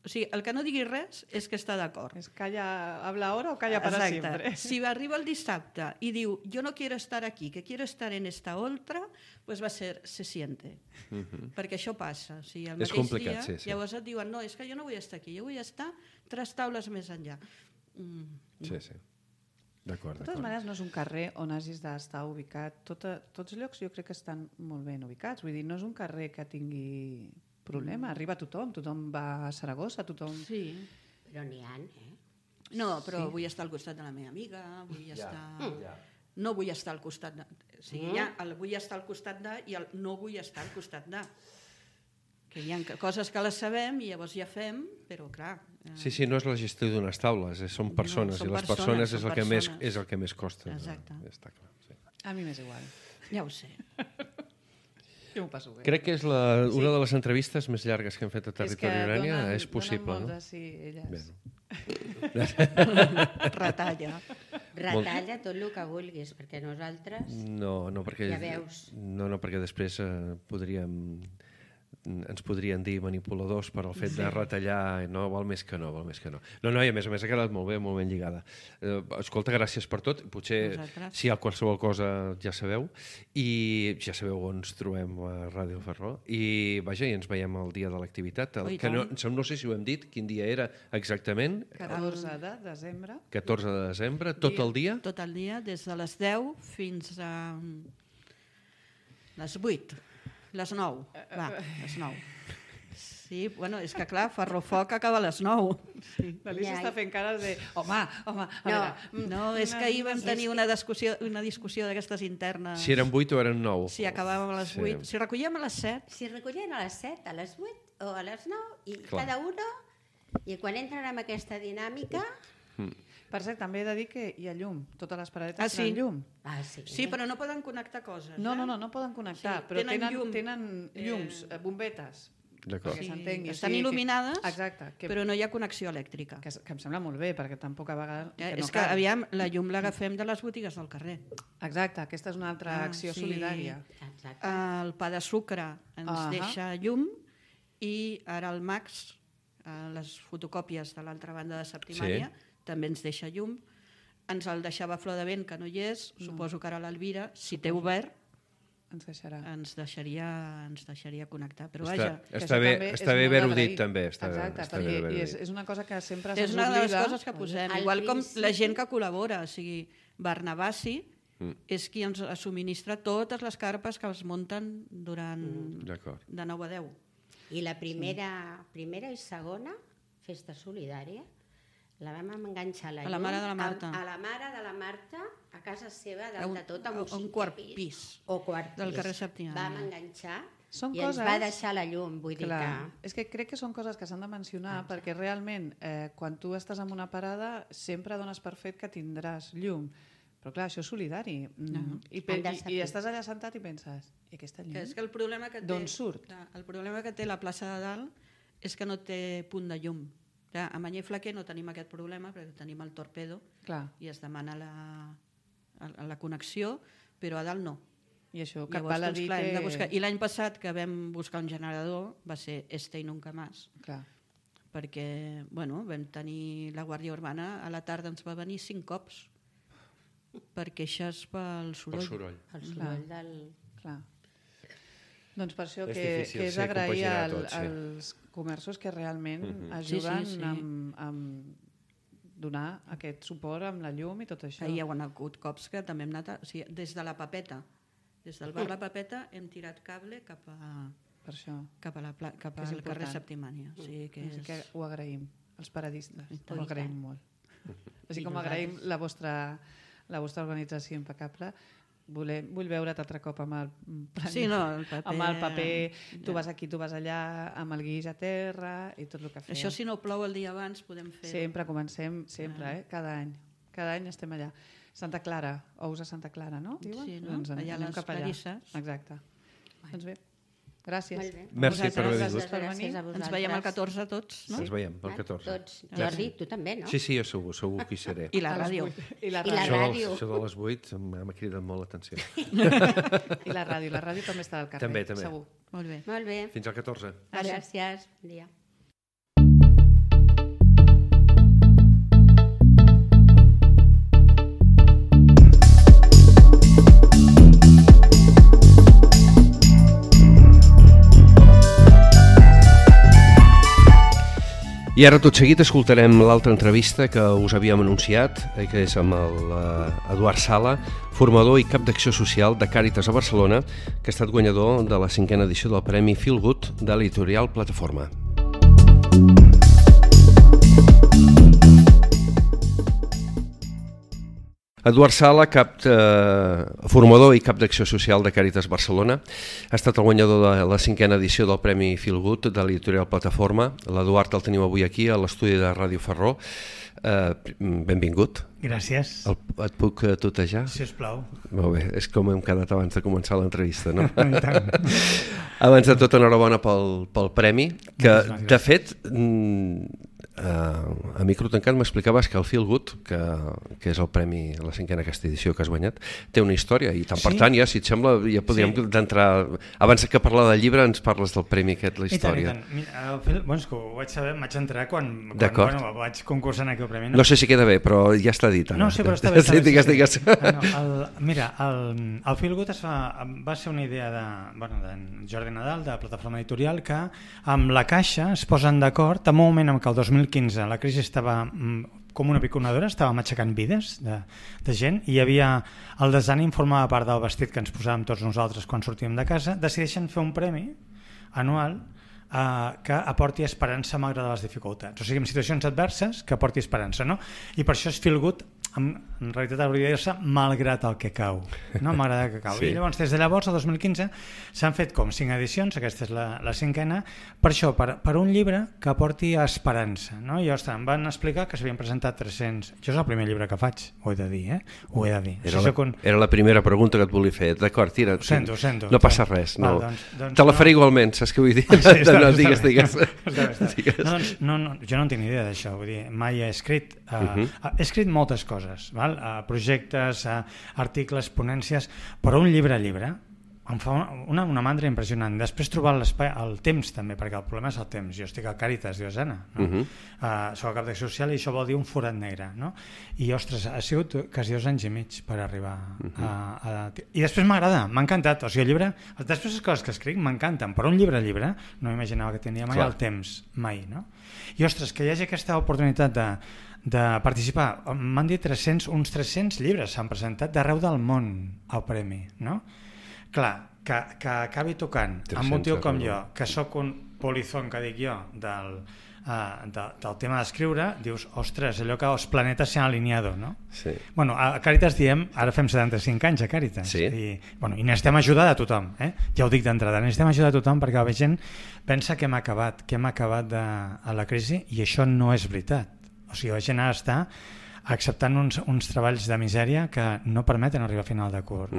O sigui, el que no digui res és que està d'acord. És calla, habla ahora o calla para siempre. Si arriba el dissabte i diu yo no quiero estar aquí, que quiero estar en esta otra, pues va a ser se siente. Perquè això passa. O sigui, el és complicat, dia, sí. Llavors et diuen, no, és que jo no vull estar aquí, jo vull estar 3 taules més enllà. Sí. D'acord. De totes maneres, no és un carrer on hagis d'estar ubicat. Tots els llocs jo crec que estan molt ben ubicats. Vull dir, no és un carrer que tingui problema. Arriba tothom va a Saragossa, tothom... Sí. Però n'hi ha, No, però vull estar al costat de la meva amiga, vull estar... No vull estar al costat de... O sigui, hi ha el vull estar al costat de i el no vull estar al costat de. Que hi ha coses que les sabem i llavors ja fem, però clar... Sí, no és la gestió d'unes taules, són persones, i les persones és el que més costa. Exacte. Està clar, sí. A mi m'és igual. Ja ho sé. Jo m'ho passo bé. Crec que és una de les entrevistes més llargues que hem fet a Territori Urània. És possible, no? Sí, elles. Retalla. Retalla tot el que vulguis, perquè nosaltres... No, perquè... Ja veus. No, perquè després ens podrien dir manipuladors per al fet de retallar, no, val més que no. No, i a més ha quedat molt ben lligada. Escolta, gràcies per tot. Potser si hi ha qualsevol cosa ja sabeu, i ja sabeu on ens trobem a Ràdio Ferró, i vaja, i ens veiem el dia de l'activitat, que no sé si ho hem dit, quin dia era exactament. 14 de desembre. 14 de desembre, tot el dia? Tot el dia, des de les 10 fins a les 8. Les 9. Va, les 9. Sí, bueno, és que clar, Ferrofoc acaba a les 9. Sí. L'Alicia està fent cares de... Home, a veure... No, és que ahir vam tenir una discussió d'aquestes internes. Si eren 8 o eren 9. Si acabàvem a les 8. Si recollíem a les 7. Si recollien a les 7, a les 8 o a les 9, i cada una... I quan entren en aquesta dinàmica... Per cert, també he de dir que hi ha llum. Totes les paradetes tenen llum. Sí, però no poden connectar coses. No poden connectar, però tenen llums, bombetes. D'acord. Estan il·luminades, exacte, però no hi ha connexió elèctrica. Que em sembla molt bé, perquè tampoc a vegades... És que, aviam, la llum l'agafem de les botigues del carrer. Exacte, aquesta és una altra acció solidària. El pa de sucre ens deixa llum i ara el Max, les fotocòpies de l'altra banda de Septimània, també ens deixa llum. Ens el deixava Flor de Vent, que no hi és. Suposo que ara l'Elvira, si té obert, ens deixaria connectar. Però vaja... Està bé haver-ho dit, també. Exacte, i és una cosa que sempre se s'oblida. És una de les coses que posem. Igual com la gent que col·labora. O sigui, Barnabassi és qui ens subministra totes les carpes que es munten durant de 9 a 10. I la primera i segona festa solidària la vam enganxar a la mare de la Marta. A la mare de la Marta, a casa seva, dalt de tot, amb un quart pis. O quart pis. Del carrer Septimània. Vam enganxar i ens va deixar la llum. Vull dir que... És que crec que són coses que s'han de mencionar perquè realment, quan tu estàs en una parada, sempre dones per fet que tindràs llum. Però clar, això és solidari. I estàs allà sentat i penses, i aquesta llum? És que el problema que té... D'on surt? El problema que té la plaça de Dalt és que no té punt de llum. A Manyer Flaquer no tenim aquest problema perquè tenim el Torpedo i es demana la connexió, però a dalt no. I això, que val a dir que... I l'any passat que vam buscar un generador va ser Este i Nunca Más. Perquè vam tenir la Guàrdia Urbana, a la tarda ens va venir 5 cops per queixes pel soroll. El soroll del... Clar. Doncs per això que és agrair als comerços que realment ajuden a donar aquest suport amb la llum i tot això. Hi ha hagut cops que també hem anat... Des de la Papeta, des del bar La Papeta hem tirat cable cap al carrer Septimània. Que ho agraïm, els paradistes. Ho agraïm molt. Així com agraïm la vostra organització impecable. Vull veure't altre cop amb el paper, tu vas aquí, tu vas allà, amb el guix a terra i tot el que fem. Això si no plou el dia abans podem fer... Sempre comencem, cada any. Cada any estem allà. Santa Clara, ous a Santa Clara, no? Sí, no? Doncs allà les Clarisses. Exacte. Doncs bé, gràcies. Merci per haver vingut. Ens veiem el 14 tots, no? Ens veiem el 14. Tots. Jordi, tu també, no? Sí, jo segur que hi seré. I la ràdio. Això de les 8 m'ha cridat molt l'atenció. I la ràdio també està al carrer. També. Segur. Molt bé. Fins al 14. Gràcies. Bon dia. I ara tot seguit escoltarem l'altra entrevista que us havíem anunciat, que és amb l'Eduard Sala, formador i cap d'acció social de Càritas a Barcelona, que ha estat guanyador de la 5a edició del Premi Feel Good de l'editorial Plataforma. Eduard Sala, formador i cap d'acció social de Càritas Barcelona, ha estat el guanyador de la 5a edició del Premi Feel Good de l'editorial Plataforma. L'Eduard el tenim avui aquí a l'estudi de Ràdio Ferró. Benvingut. Gràcies. Et puc tutejar? Sisplau. Molt bé, és com hem quedat abans de començar l'entrevista, no? Abans de tot, enhorabona pel premi, que de fet... a micro tancat m'explicaves que el Feel Good, que és el premi a la 5a aquesta edició que has guanyat, té una història i tant per tant, si et sembla, ja podríem d'entrar, abans que parlar del llibre ens parles del premi aquest, la història. I tant. És que ho vaig saber, em vaig entrar quan vaig concursar en aquell premi. No sé si queda bé, però ja està dit. No, sí, però està bé. Digues. Mira, el Feel Good va ser una idea d'en Jordi Nadal, de Plataforma Editorial, que amb la Caixa es posen d'acord en un moment en què el 2015 la crisi estava com una piconadora, estàvem aixecant vides de gent, i hi havia el desànim formava part del vestit que ens posàvem tots nosaltres quan sortíem de casa. Decideixen fer un premi anual que aporti esperança malgrat les dificultats, o sigui, en situacions adverses que aporti esperança, no? I per això és Feel Good, en realitat hauria de dir-se malgrat el que cau, no? Malgrat el que cau. Sí. I llavors, des de llavors, el 2015, s'han fet com 5 edicions, aquesta és la 5ª, per això, per un llibre que aporti esperança, no? I ostres, em van explicar que s'havien presentat 300. Jo és el primer llibre que faig, ho he de dir, Ho he de dir. Era la primera pregunta que et volia fer. D'acord, tira. Ho sento. No passa res. No. Doncs te la faré igualment, saps què vull dir? No, digues. No, jo no en tinc ni idea d'això, vull dir, mai he escrit. He escrit moltes coses, val? Projectes, articles, ponències, però un llibre em fa una mandra impressionant. Després trobar l'espai, el temps també, perquè el problema és el temps. Jo estic a Càritas Diocesana, no? Soc a cap d'acció social i això vol dir un forat negre, no? I ostres, ha sigut quasi 2 anys i mig per arribar I després m'agrada, m'ha encantat. O sigui, el llibre, després les coses que escric m'encanten, però un llibre no m'imaginava que tenia mai el temps, mai, no? I ostres, que hi hagi aquesta oportunitat de participar. M'han dit uns 300 llibres s'han presentat d'arreu del món al premi, no? Clar, que acabi tocant amb un tio com jo, que sóc un polizón, que dic jo, del tema d'escriure, dius, ostres, allò que els planetes s'han alineado, no? Sí. Bueno, a Càritas diem, ara fem 75 anys a Càritas, sí. I necessitem ajudar a tothom, ja ho dic d'entrada, necessitem ajudar a tothom perquè la gent pensa que hem acabat a la crisi, i això no és veritat. O sigui, la gent ara està acceptant uns treballs de misèria que no permeten arribar a final de curs,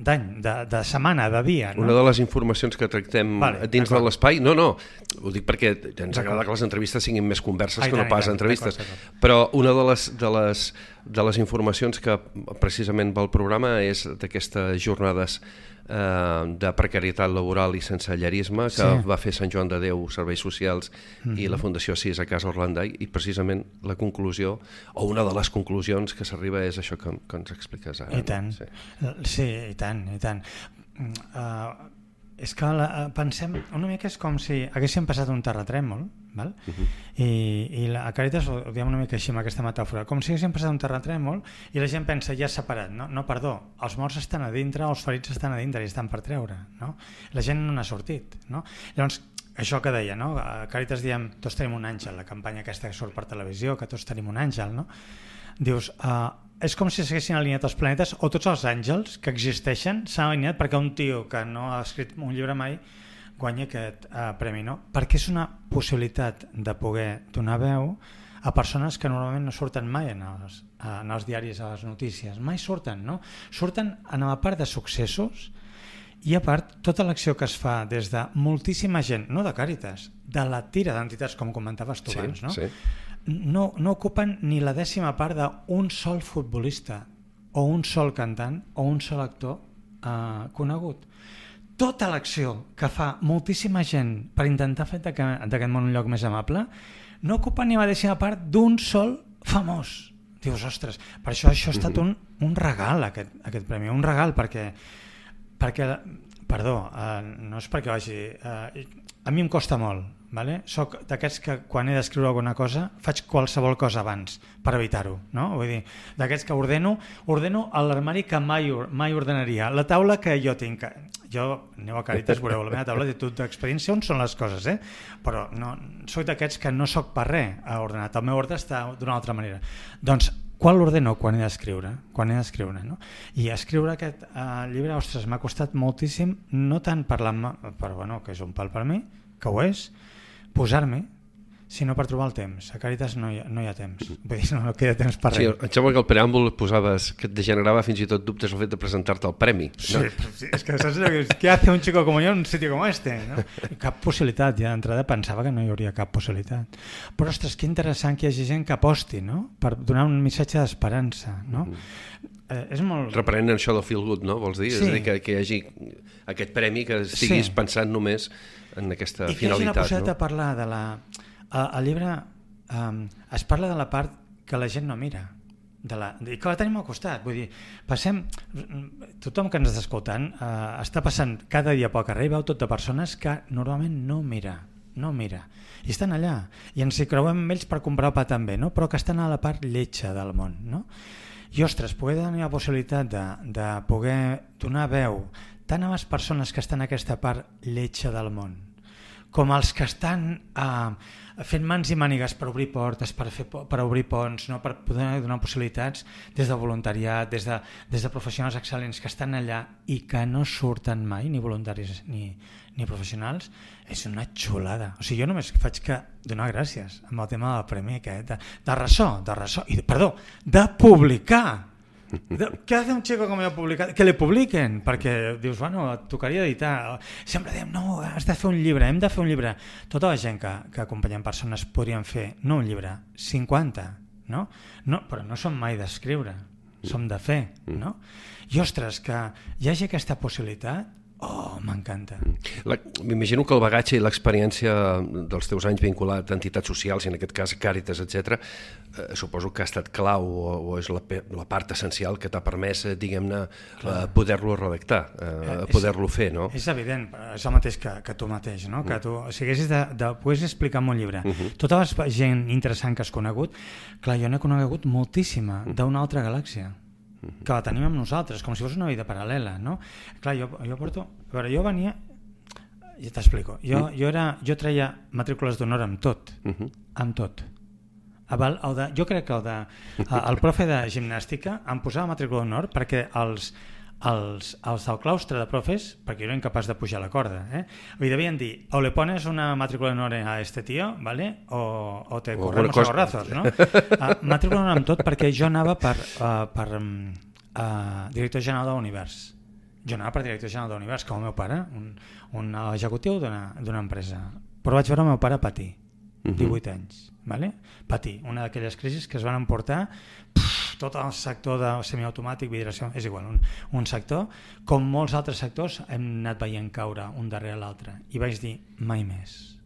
d'any, de setmana, de dia. No? Una de les informacions que tractem dins de l'espai, no, ho dic perquè ens agrada que les entrevistes siguin més converses que no pas entrevistes, però una de les informacions que precisament va al programa és d'aquestes jornades de precarietat laboral i sensellarisme que va fer Sant Joan de Déu, Serveis Socials i la Fundació Sis a Casa Orlandai, i precisament la conclusió, o una de les conclusions que s'arriba és això que ens expliques ara. I tant, sí, i tant. És que pensem, una mica és com si haguéssim passat un terratrèmol, val? I a Càritas ho diem una mica així amb aquesta metàfora, com si haguéssim passat un terratrèmol i la gent pensa, ja separat, no, perdó, els morts estan a dintre, els ferits estan a dintre i estan per treure, no? La gent no n'ha sortit, no? Llavors, això que deia, no? A Càritas diem, tots tenim un àngel, la campanya aquesta que surt per televisió, que tots tenim un àngel, no? Dius, és com si s'haguessin alineat els planetes, o tots els àngels que existeixen s'han alineat perquè un tio que no ha escrit un llibre mai guanya aquest premi, no? Perquè és una possibilitat de poder donar veu a persones que normalment no surten mai en els diaris, a les notícies, mai surten, no? Surten en la part de successos, i a part tota l'acció que es fa des de moltíssima gent, no de Càritas, de la tira d'entitats, com comentaves tu abans, no? Sí. No ocupen ni la 10ª part d'un sol futbolista o un sol cantant o un sol actor conegut. Tota l'acció que fa moltíssima gent per intentar fer d'aquest món un lloc més amable no ocupa ni la 10ª part d'un sol famós. Dius, ostres, per això ha estat un regal aquest premi, un regal perquè perdó, no és perquè vagi... A mi em costa molt, vale? Soc d'aquests que quan he d'escriure alguna cosa faig qualsevol cosa abans per evitar-ho, no? Vull dir, d'aquests que ordeno a l'armari que mai ordenaria, la taula que jo tinc, jo aneu a Càritas, veureu la meva taula de tot d'experiència on són les coses, però no, soc d'aquests que no soc per res ordenat, el meu ordre està d'una altra manera. Doncs quan l'ordeno? Quan he d'escriure, no? I escriure aquest llibre, ostres, m'ha costat moltíssim, no tant que és un pal per mi, que ho és, posar-me, sinó per trobar el temps. A Càritas no hi ha temps, vull dir, no queda temps per res. Sí, em sembla que el preàmbul posaves que et degenerava fins i tot dubtes el fet de presentar-te al premi. Sí, és que saps què hace un chico como yo en un sitio como este? ¿No? Cap possibilitat, ja d'entrada pensava que no hi hauria cap possibilitat. Però, ostres, que interessant que hi hagi gent que aposti, no? Per donar un missatge d'esperança, no? És molt... Reprenent això del Feel Good, no? Vols dir? Sí. És a dir, que hi hagi aquest premi que estiguis pensant només en aquesta finalitat. I que hagi la possibilitat de parlar de la... Al llibre es parla de la part que la gent no mira, i que la tenim al costat. Vull dir, tothom que ens està escoltant està passant cada dia pel carrer i veu tot de persones que normalment no mira no mira. I estan allà, i ens hi creuem amb ells per comprar el pa també, no? Però que estan a la part lletja del món, no? I ostres, poder tenir la possibilitat de poder donar veu tant a les persones que estan a aquesta part lletja del món, com els que estan fent mans i mànigues per obrir portes, per obrir ponts, no? Per poder donar possibilitats des de voluntariat, des de professionals excel·lents que estan allà i que no surten mai, ni voluntaris ni professionals, és una xulada. O sigui, jo només faig que donar gràcies amb el tema del premi aquest, de ressò, de publicar. ¿Qué hace un chico como yo publicar? Que le publiquen, perquè dius, bueno, et tocaria editar. Sempre diem, no, has de fer un llibre, hem de fer un llibre. Tota la gent que acompanyem persones podrien fer, no un llibre, 50, no? Però no som mai d'escriure, som de fer, no? I ostres, que hi hagi aquesta possibilitat, m'encanta. M'imagino que el bagatge i l'experiència dels teus anys vinculat a entitats socials, i en aquest cas Càritas, etc., suposo que ha estat clau o és la part essencial que t'ha permès, diguem-ne, poder-lo redactar, poder-lo fer, no? És evident, és el mateix que tu mateix, no? Que tu, si haguessis de poder explicar en un llibre tota la gent interessant que has conegut, clar, jo n'he conegut moltíssima d'una altra galàxia, que la tenim amb nosaltres, com si fos una vida paral·lela, no? Clar, jo porto... A veure, jo venia... Ja t'explico. Jo treia matrícules d'honor amb tot. Amb tot. Jo crec que el profe de gimnàstica em posava matrícula d'honor perquè els del claustre de profes, perquè jo era incapaç de pujar la corda, li devien dir, o le pones una matrícula d'honor a este tío, ¿vale? O te corremos a gorrazos, no? Matrícula d'honor amb tot perquè jo anava per director general de l'univers. Jo anava per director general de l'univers, com el meu pare, un executiu d'una empresa. Però vaig veure el meu pare patir, 18 anys, ¿vale? Patir, una d'aquelles crisis que es van emportar tot el sector de semiautomàtic, vidració, és igual, un sector, com molts altres sectors hem anat veient caure un darrere l'altre, i vaig dir, mai més.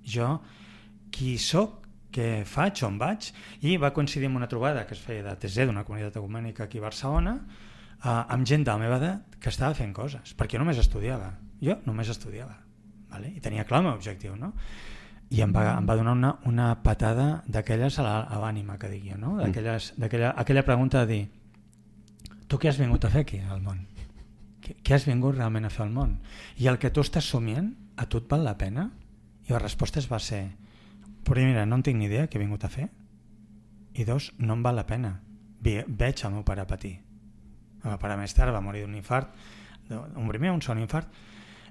Jo, qui soc, què faig, on vaig, i va coincidir amb una trobada que es feia de TC, d'una comunitat ecumènica aquí a Barcelona, amb gent de la meva edat que estava fent coses, perquè jo només estudiava, vale? I tenia clar el meu objectiu, no? I em va donar una patada d'aquelles a l'ànima, que dic jo, no? Aquella pregunta de dir, tu què has vingut a fer aquí al món? Què has vingut realment a fer al món? I el que tu estàs somient, a tu et val la pena? I la resposta va ser, primera, no en tinc ni idea què he vingut a fer, i dos, no em val la pena. Veig el meu pare patir. El meu pare més tard va morir d'un infart, un segon infart,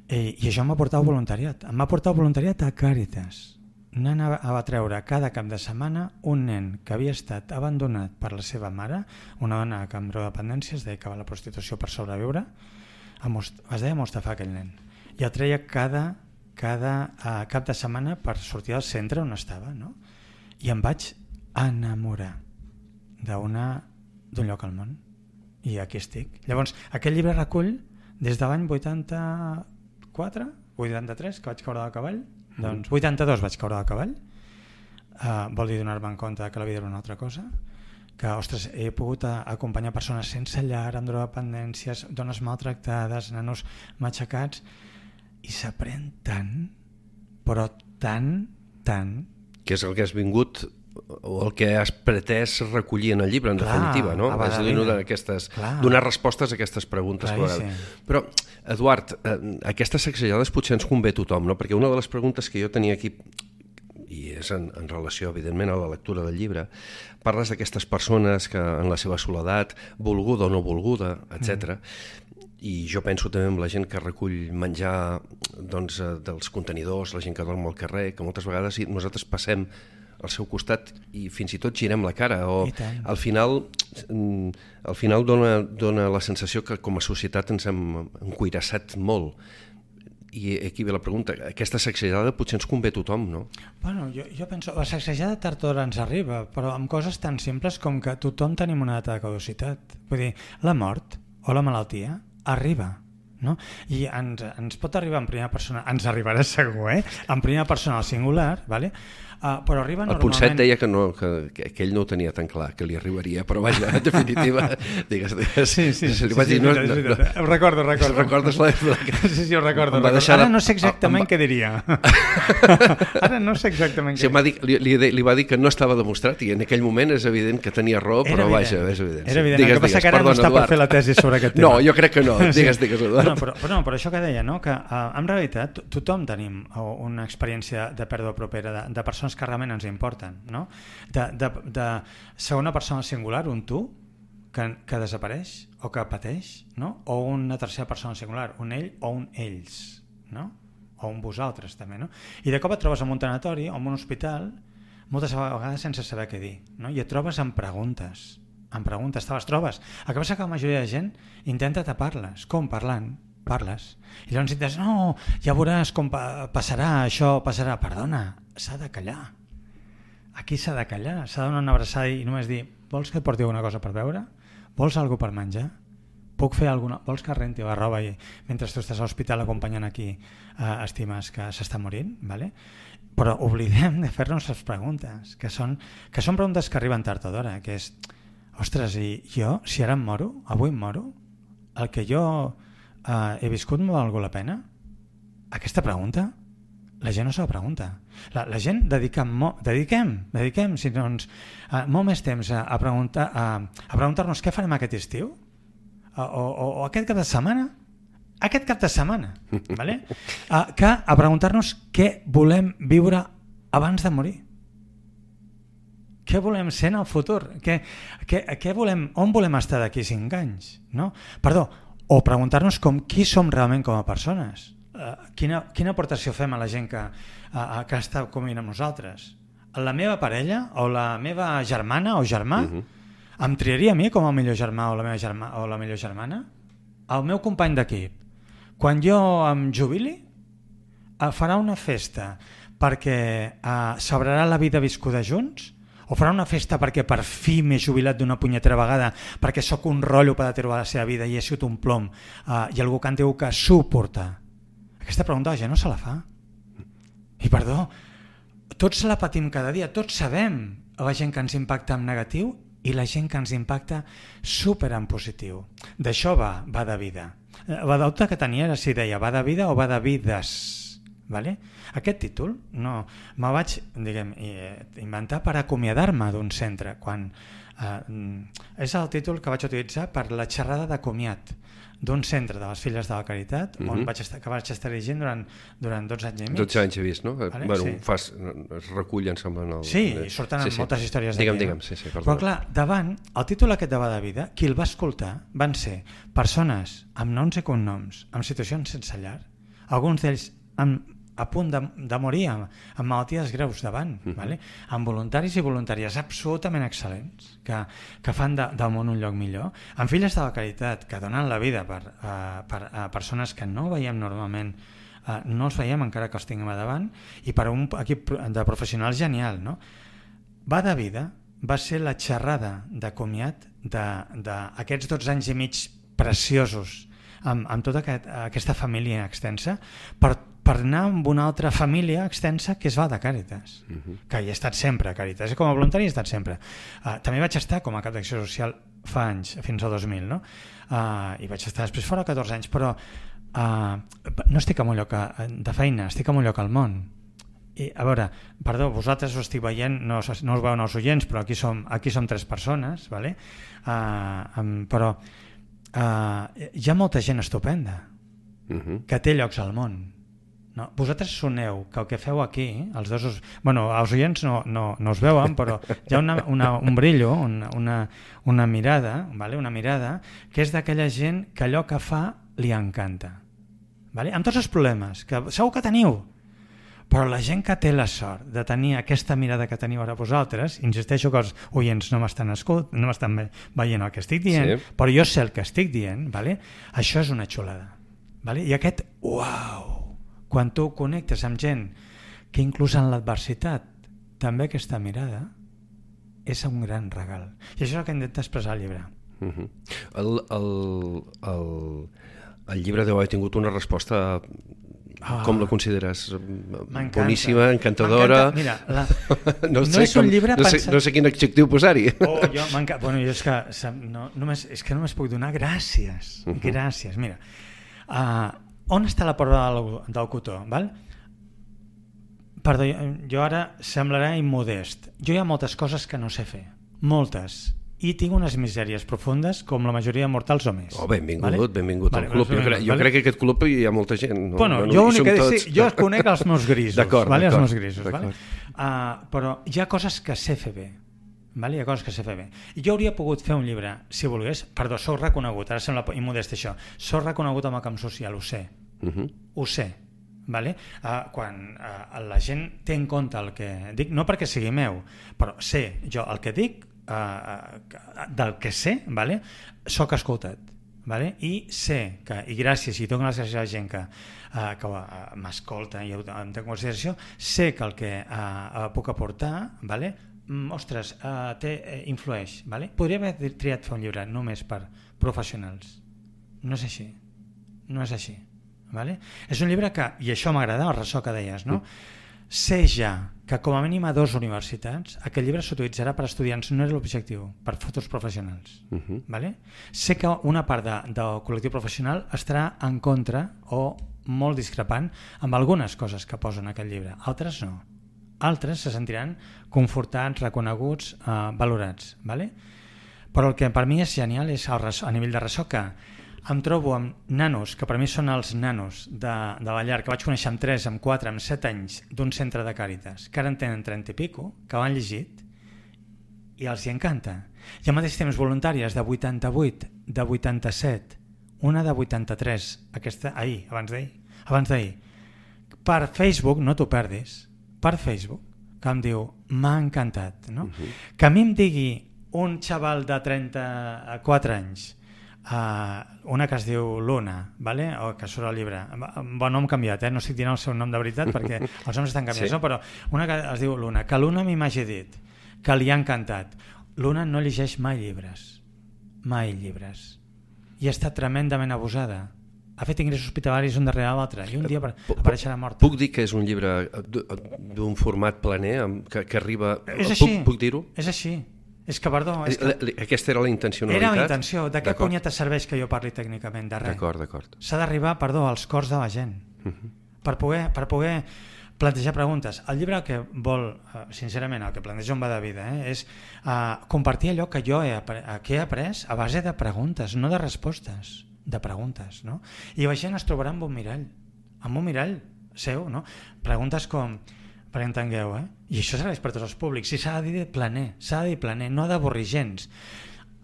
i això em va portar al voluntariat. Em va portar al voluntariat a Càritas. Anava a treure cada cap de setmana un nen que havia estat abandonat per la seva mare, una dona que amb drogodependència es dedicava a la prostitució per sobreviure, es deia Mostafa aquell nen, i el treia cada cap de setmana per sortir del centre on estava, no? I em vaig enamorar d'un lloc al món, i aquí estic. Llavors, aquest llibre recull des de l'any 83, que vaig caure del cavall, doncs 82 vaig caure del cavall, vol dir donar-me en compte que la vida era una altra cosa, que, ostres, he pogut acompanyar persones sense llar, amb drogodependències, dones maltractades, nanos matxacats, i s'aprèn tant, però tant... Que és el que has vingut, o el que has pretès recollir en el llibre, en definitiva, no? És a dir, donar respostes a aquestes preguntes. Però, Eduard, aquestes sacsejades potser ens convé a tothom, no? Perquè una de les preguntes que jo tenia aquí, i és en relació, evidentment, a la lectura del llibre, parles d'aquestes persones que en la seva soledat, volguda o no volguda, etc. I jo penso també en la gent que recull menjar dels contenidors, la gent que dorm al carrer, que moltes vegades nosaltres passem al seu costat i fins i tot girem la cara, o al final dona la sensació que com a societat ens hem encuirassat molt. I aquí ve la pregunta, aquesta sacsejada potser ens convé a tothom, no? Bueno, jo penso, la sacsejada tard o d'hora ens arriba, però amb coses tan simples com que tothom tenim una data de caducitat. Vull dir, la mort o la malaltia arriba. no? I ens pot arribar en primera persona, ens arribarà segur, en primera persona al singular, vale? Però arriba normalment... El Ponset deia que ell no ho tenia tan clar, que li arribaria, però vaja, en definitiva, digues. Sí, ho recordo. Recordes l'època? Sí, ho recordo. Ara no sé exactament què diria. Ara no sé exactament què diria. Li va dir que no estava demostrat i en aquell moment és evident que tenia raó, però vaja, és evident. Era evident, el que passa que ara no està per fer la tesi sobre aquest tema. No, jo crec que no, digues, Eduard. Però això que deia, no? Que en realitat tothom tenim una experiència de pèrdua propera de persones que realment ens importen, no? De segona persona singular, un tu que desapareix o que pateix, no? O una tercera persona singular, un ell o un ells, no? O un vosaltres també, no? I de cop et trobes en un tanatori o en un hospital moltes vegades sense saber què dir, no? I et trobes amb preguntes, te les trobes. El que passa que la majoria de gent intenta tapar-les. Com? Parlant. Parles. I llavors dius, no, ja veuràs com passarà, això passarà. Perdona, s'ha de callar. Aquí s'ha de callar, s'ha de donar una abraçada i només dir, vols que et porti alguna cosa per beure? Vols alguna per menjar? Puc fer alguna... Vols que renti la roba mentre tu estàs a l'hospital acompanyant aquí estimes que s'està morint? Vale? Però oblidem de fer-nos les preguntes, que són preguntes que arriben tard o d'hora, que és, ostres, i jo, si ara em moro, avui em moro, el que jo he viscut m'ha valgut la pena? Aquesta pregunta la gent no se la pregunta. La gent dediquem si no molt més temps a preguntar-nos què farem aquest estiu o aquest cap de setmana vale? Que a preguntar-nos què volem viure abans de morir, què volem ser en el futur, on volem estar d'aquí 5 anys, no? Perdó, o preguntar-nos qui som realment com a persones, quina aportació fem a la gent que està convivint amb nosaltres. La meva parella o la meva germana o germà em triaria a mi com el millor germà o la meva germà o la millor germana? El meu company d'equip, quan jo em jubili, farà una festa perquè celebrarà la vida viscuda junts? O farà una festa perquè per fi m'he jubilat d'una punyetera vegada perquè sóc un rotllo per trobar la seva vida i he sigut un plom i algú que en diu que suporta? Aquesta pregunta la gent no se la fa. I perdó, tots la patim cada dia, tots sabem la gent que ens impacta en negatiu i la gent que ens impacta super en positiu. D'això va de vida. La dubte que tenia era si deia va de vida o va de vides. Vale? Aquest títol me'l vaig inventar per acomiadar-me d'un centre és el títol que vaig utilitzar per la xerrada de comiat d'un centre de les Filles de la Caritat que vaig estar dirigint durant 12 anys i mig. 12 anys he vist, no? Vale? Bueno, es recullen semblant Sí, i surten moltes històries d'aquí. Digue'm, sí, però clar, davant, el títol aquest de Va de vida, qui el va escoltar van ser persones amb noms i cognoms, amb situacions sense llar, alguns d'ells a punt de morir amb malalties greus davant, vale? Amb voluntaris i voluntàries absolutament excel·lents que fan del món un lloc millor, amb Filles de la Caritat que donen la vida per persones que no veiem normalment, no els veiem encara que els tinguem a davant, i per un equip de professionals genial, no? Va de vida va ser la xerrada de comiat d'aquests 12 anys i mig preciosos amb tota aquesta família extensa per anar amb una altra família extensa que és Va de Càritas, que hi he estat sempre a Càritas, com a voluntari he estat sempre. També vaig estar com a cap d'acció social fa anys, fins al 2000, no? I vaig estar després fora 14 anys, però no estic en un lloc de feina, estic en un lloc al món. I, a veure, perdó, vosaltres ho estic veient, no us veuen els oients, però aquí som 3 persones, vale? Però hi ha molta gent estupenda que té llocs al món. No, vosaltres soneu que el que feu aquí, els dos, bueno, els oients no us veuen, però hi ha un brillo, una mirada, vale? Una mirada que és d'aquella gent que allò que fa li encanta, vale? Amb tots els problemes que segur que teniu, però la gent que té la sort de tenir aquesta mirada que teniu ara vosaltres, insisteixo que els oients no m'estan veient el que estic dient, sí, però jo sé el que estic dient, vale? Això és una xulada, vale? I aquest uau, quan tu connectes amb gent que inclús en l'adversitat també aquesta mirada és un gran regal, i això és el que intenta expressar el llibre. El llibre deu haver tingut una resposta, com la consideres? Boníssima, encantadora... Mira, no és un llibre pensat... No sé quin adjectiu posar-hi. Jo és que només puc donar gràcies. Gràcies, mira. On està la prova del cotó? Perdó, jo ara semblarà immodest. Jo hi ha moltes coses que no sé fer. Moltes. I tinc unes misèries profundes com la majoria de mortals o més. Benvingut al club. Jo crec que aquest club hi ha molta gent. Jo conec els meus grisos. D'acord. Però hi ha coses que sé fer bé. Hi ha coses que sé fer bé. I jo hauria pogut fer un llibre, si volgués, perdó, soc reconegut, ara sembla immodest això, soc reconegut amb el camp social, ho sé. Ho sé. Quan la gent té en compte el que dic, no perquè sigui meu, però sé jo el que dic, del que sé, soc escoltat, i sé que, i gràcies, i dono les gràcies a la gent que m'escolta i em té en consideració, sé que el que puc aportar, ostres, influeix. Podria haver triat fer un llibre només per professionals. No és així. És un llibre que, i això m'agrada, el ressò que deies, no? Sé ja que com a mínim a 2 universitats aquest llibre s'utilitzarà per estudiants, no és l'objectiu, per futurs professionals. Sé que una part del col·lectiu professional estarà en contra o molt discrepant amb algunes coses que posen en aquest llibre, altres no. Altres se sentiran confortats, reconeguts, valorats. Però el que per mi és genial és a nivell de ressò que em trobo amb nanos, que per mi són els nanos de la llar, que vaig conèixer amb 3, amb 4, amb 7 anys d'un centre de Càritas, que ara en tenen 30 i pico, que l'han llegit i els hi encanta. I al mateix temps voluntàries de 88, de 87, una de 83, aquesta abans d'ahir, per Facebook, no t'ho perdis, per Facebook, que em diu, m'ha encantat. Que a mi em digui un xaval de 34 anys, una que es diu Luna, o que surt al llibre, bon nom canviat, no estic dient el seu nom de veritat perquè els noms estan canviats, però una que es diu Luna, que Luna m'hagi dit que li ha encantat. Luna no llegeix mai llibres, i està tremendament abusada, ha fet ingressos hospitalaris un darrere l'altre i un dia apareixerà morta. Puc dir que és un llibre d'un format planer que arriba... És així, puc dir-ho? És així. És que, perdó... Aquesta era la intencionalitat? Era la intenció. De què punyeta serveix que jo parli tècnicament? De res. D'acord. S'ha d'arribar, als cors de la gent. Per poder plantejar preguntes. El llibre que vol, sincerament, el que planteja un va de vida, és compartir allò que jo he après a base de preguntes, no de respostes, de preguntes. I la gent es trobarà amb un mirall seu. Preguntes com... perquè entengueu, i això serveix per tots els públics, si s'ha de dir planer, no d'avorrir gens.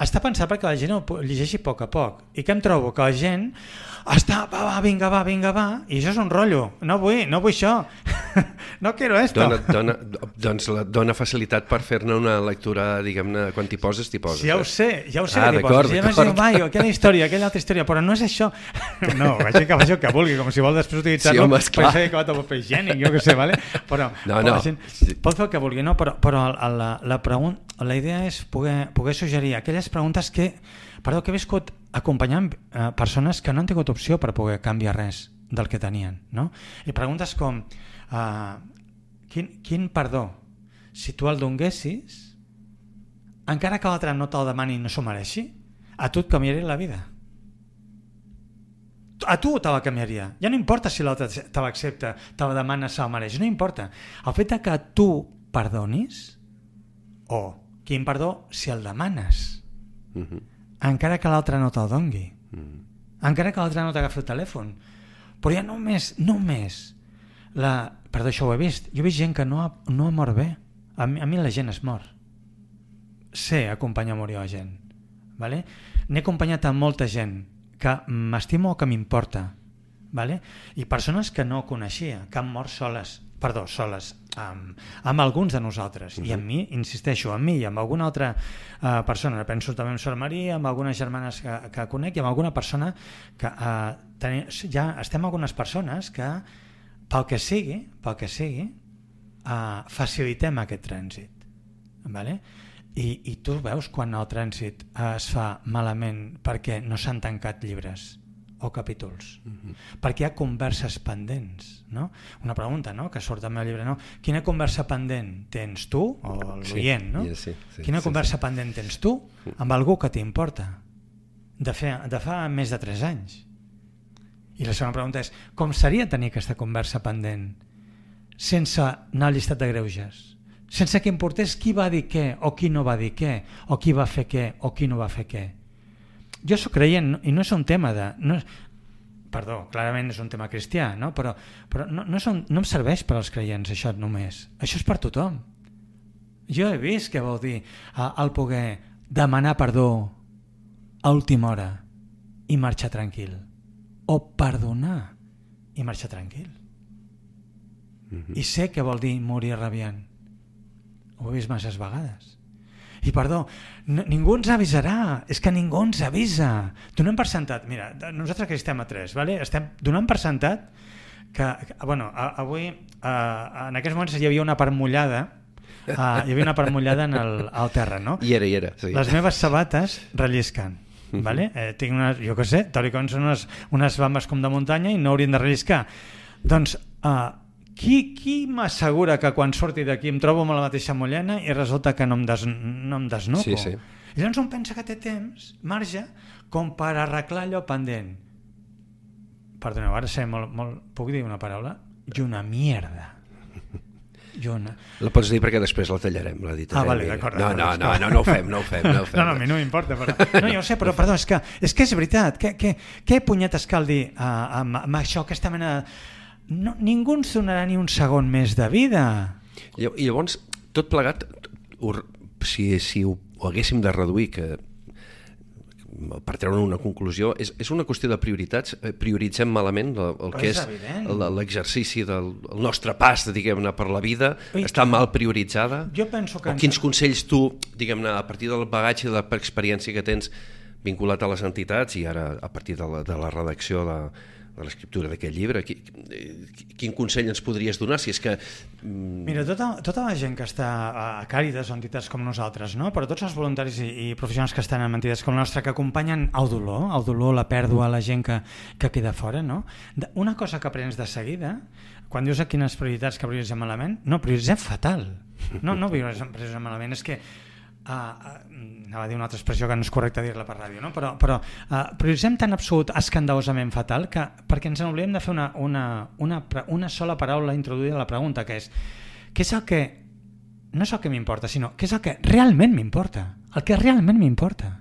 Està pensat perquè la gent ho llegeixi a poc, i que em trobo que la gent està, vinga va, i això és un rotllo, no vull això, no quiero esto. Doncs dona facilitat per fer-ne una lectura, diguem-ne, quan t'hi poses, t'hi poses. Ja ho sé que t'hi poses, i llavors diu, aquella altra història, però no és això. No, vaig que faci el que vulgui, com si vol després utilitzar-lo per fer acabat el paper higiènic, jo què sé, però la gent pot fer el que vulgui, però la idea és poder suggerir aquelles preguntes que he viscut acompanyant persones que no han tingut opció per poder canviar res del que tenien, i preguntes com quin perdó, si tu el donguessis, encara que l'altre no te'l demani i no s'ho mereixi, a tu et canviaria la vida, a tu te la canviaria, ja no importa si l'altre te l'accepta, te la demana, se la mereix, no importa, el fet que tu perdonis, o quin perdó si el demanes, encara que l'altre no te'l dongui, encara que l'altre no t'agafi el telèfon, però ja només perdó, això ho he vist, jo he vist gent que no ha mort bé, a mi la gent es mor, sé acompanyar a morir la gent, n'he acompanyat a molta gent que m'estimo o que m'importa, i persones que no coneixia, que han mort soles, amb alguns de nosaltres, i amb mi, insisteixo, amb mi i amb alguna altra persona, penso també en Sor Maria, amb algunes germanes que conec i amb alguna persona que ja estem algunes persones que pel que sigui facilitem aquest trànsit, i tu veus quan el trànsit es fa malament perquè no s'han tancat llibres o capítols? Perquè hi ha converses pendents, no? Una pregunta, no?, que surt al meu llibre, no? Quina conversa pendent tens tu, o l'oient, no? Quina conversa pendent tens tu amb algú que t'importa de fa més de 3 anys? I la segona pregunta és, com seria tenir aquesta conversa pendent sense anar al llistat de greuges? Sense que importés qui va dir què o qui no va dir què, o qui va fer què o qui no va fer què. Jo sóc creient, i no és un tema de... Perdó, clarament és un tema cristià, no? Però no em serveix per als creients això només. Això és per tothom. Jo he vist què vol dir el poder demanar perdó a última hora i marxar tranquil. O perdonar i marxar tranquil. I sé què vol dir morir rabiant. Ho he vist masses vegades. I perdó, ningú ens avisarà, és que ningú ens avisa. Donem per sentat, mira, nosaltres que estem a 3, ¿vale? Estem donant per sentat que bueno, avui en aquests moments hi havia una part mullada, al terra, no? Hi era, sí. Les meves sabates rellisquen, ¿vale? Tinc unes, jo què sé, teòricament són unes bambes com de muntanya i no haurien de relliscar. Doncs qui m'assegura que quan surti d'aquí em trobo amb la mateixa mullena i resulta que no em desnuco? Sí. I llavors un pensa que té temps, marge, com per arreglar allò pendent. Perdoneu, ara sé molt... Puc dir una paraula? I una mierda. La pots dir perquè després la tallarem, la dit. Vale, d'acord. No ho fem. No, a mi no m'importa. Però... No, jo ho sé, però perdó, és que és veritat. Què punyetes cal dir amb això, aquesta mena de... No, ningú ens donarà ni un segon més de vida. I llavors, tot plegat, si ho haguéssim de reduir, que per treure una conclusió, és una qüestió de prioritats. Prioritzem malament el que és l'exercici del nostre pas, diguem-ne, per la vida. Està mal prioritzada? Jo penso que... O quins consells tu, diguem-ne, a partir del bagatge i de l'experiència que tens vinculat a les entitats i ara a partir de la redacció de l'escriptura d'aquest llibre, quin consell ens podries donar? Si és que... Mira, tota la gent que està a Càritas o entitats com nosaltres, no? Però tots els voluntaris i professionals que estan en entitats com la nostra, que acompanyen el dolor, la pèrdua, la gent que queda fora, no? Una cosa que aprens de seguida, quan dius a quines prioritats que prioritzem malament, no, prioritzem fatal. No prioritzem malament, és que anava a dir una altra expressió que no és correcte dir-la per ràdio, no? però prioritzem tan absolut escandalosament fatal que perquè ens n'oblidem de fer una sola paraula introduïda a la pregunta, que és què és el que, no és el que m'importa, sinó què és el que realment m'importa, el que realment m'importa.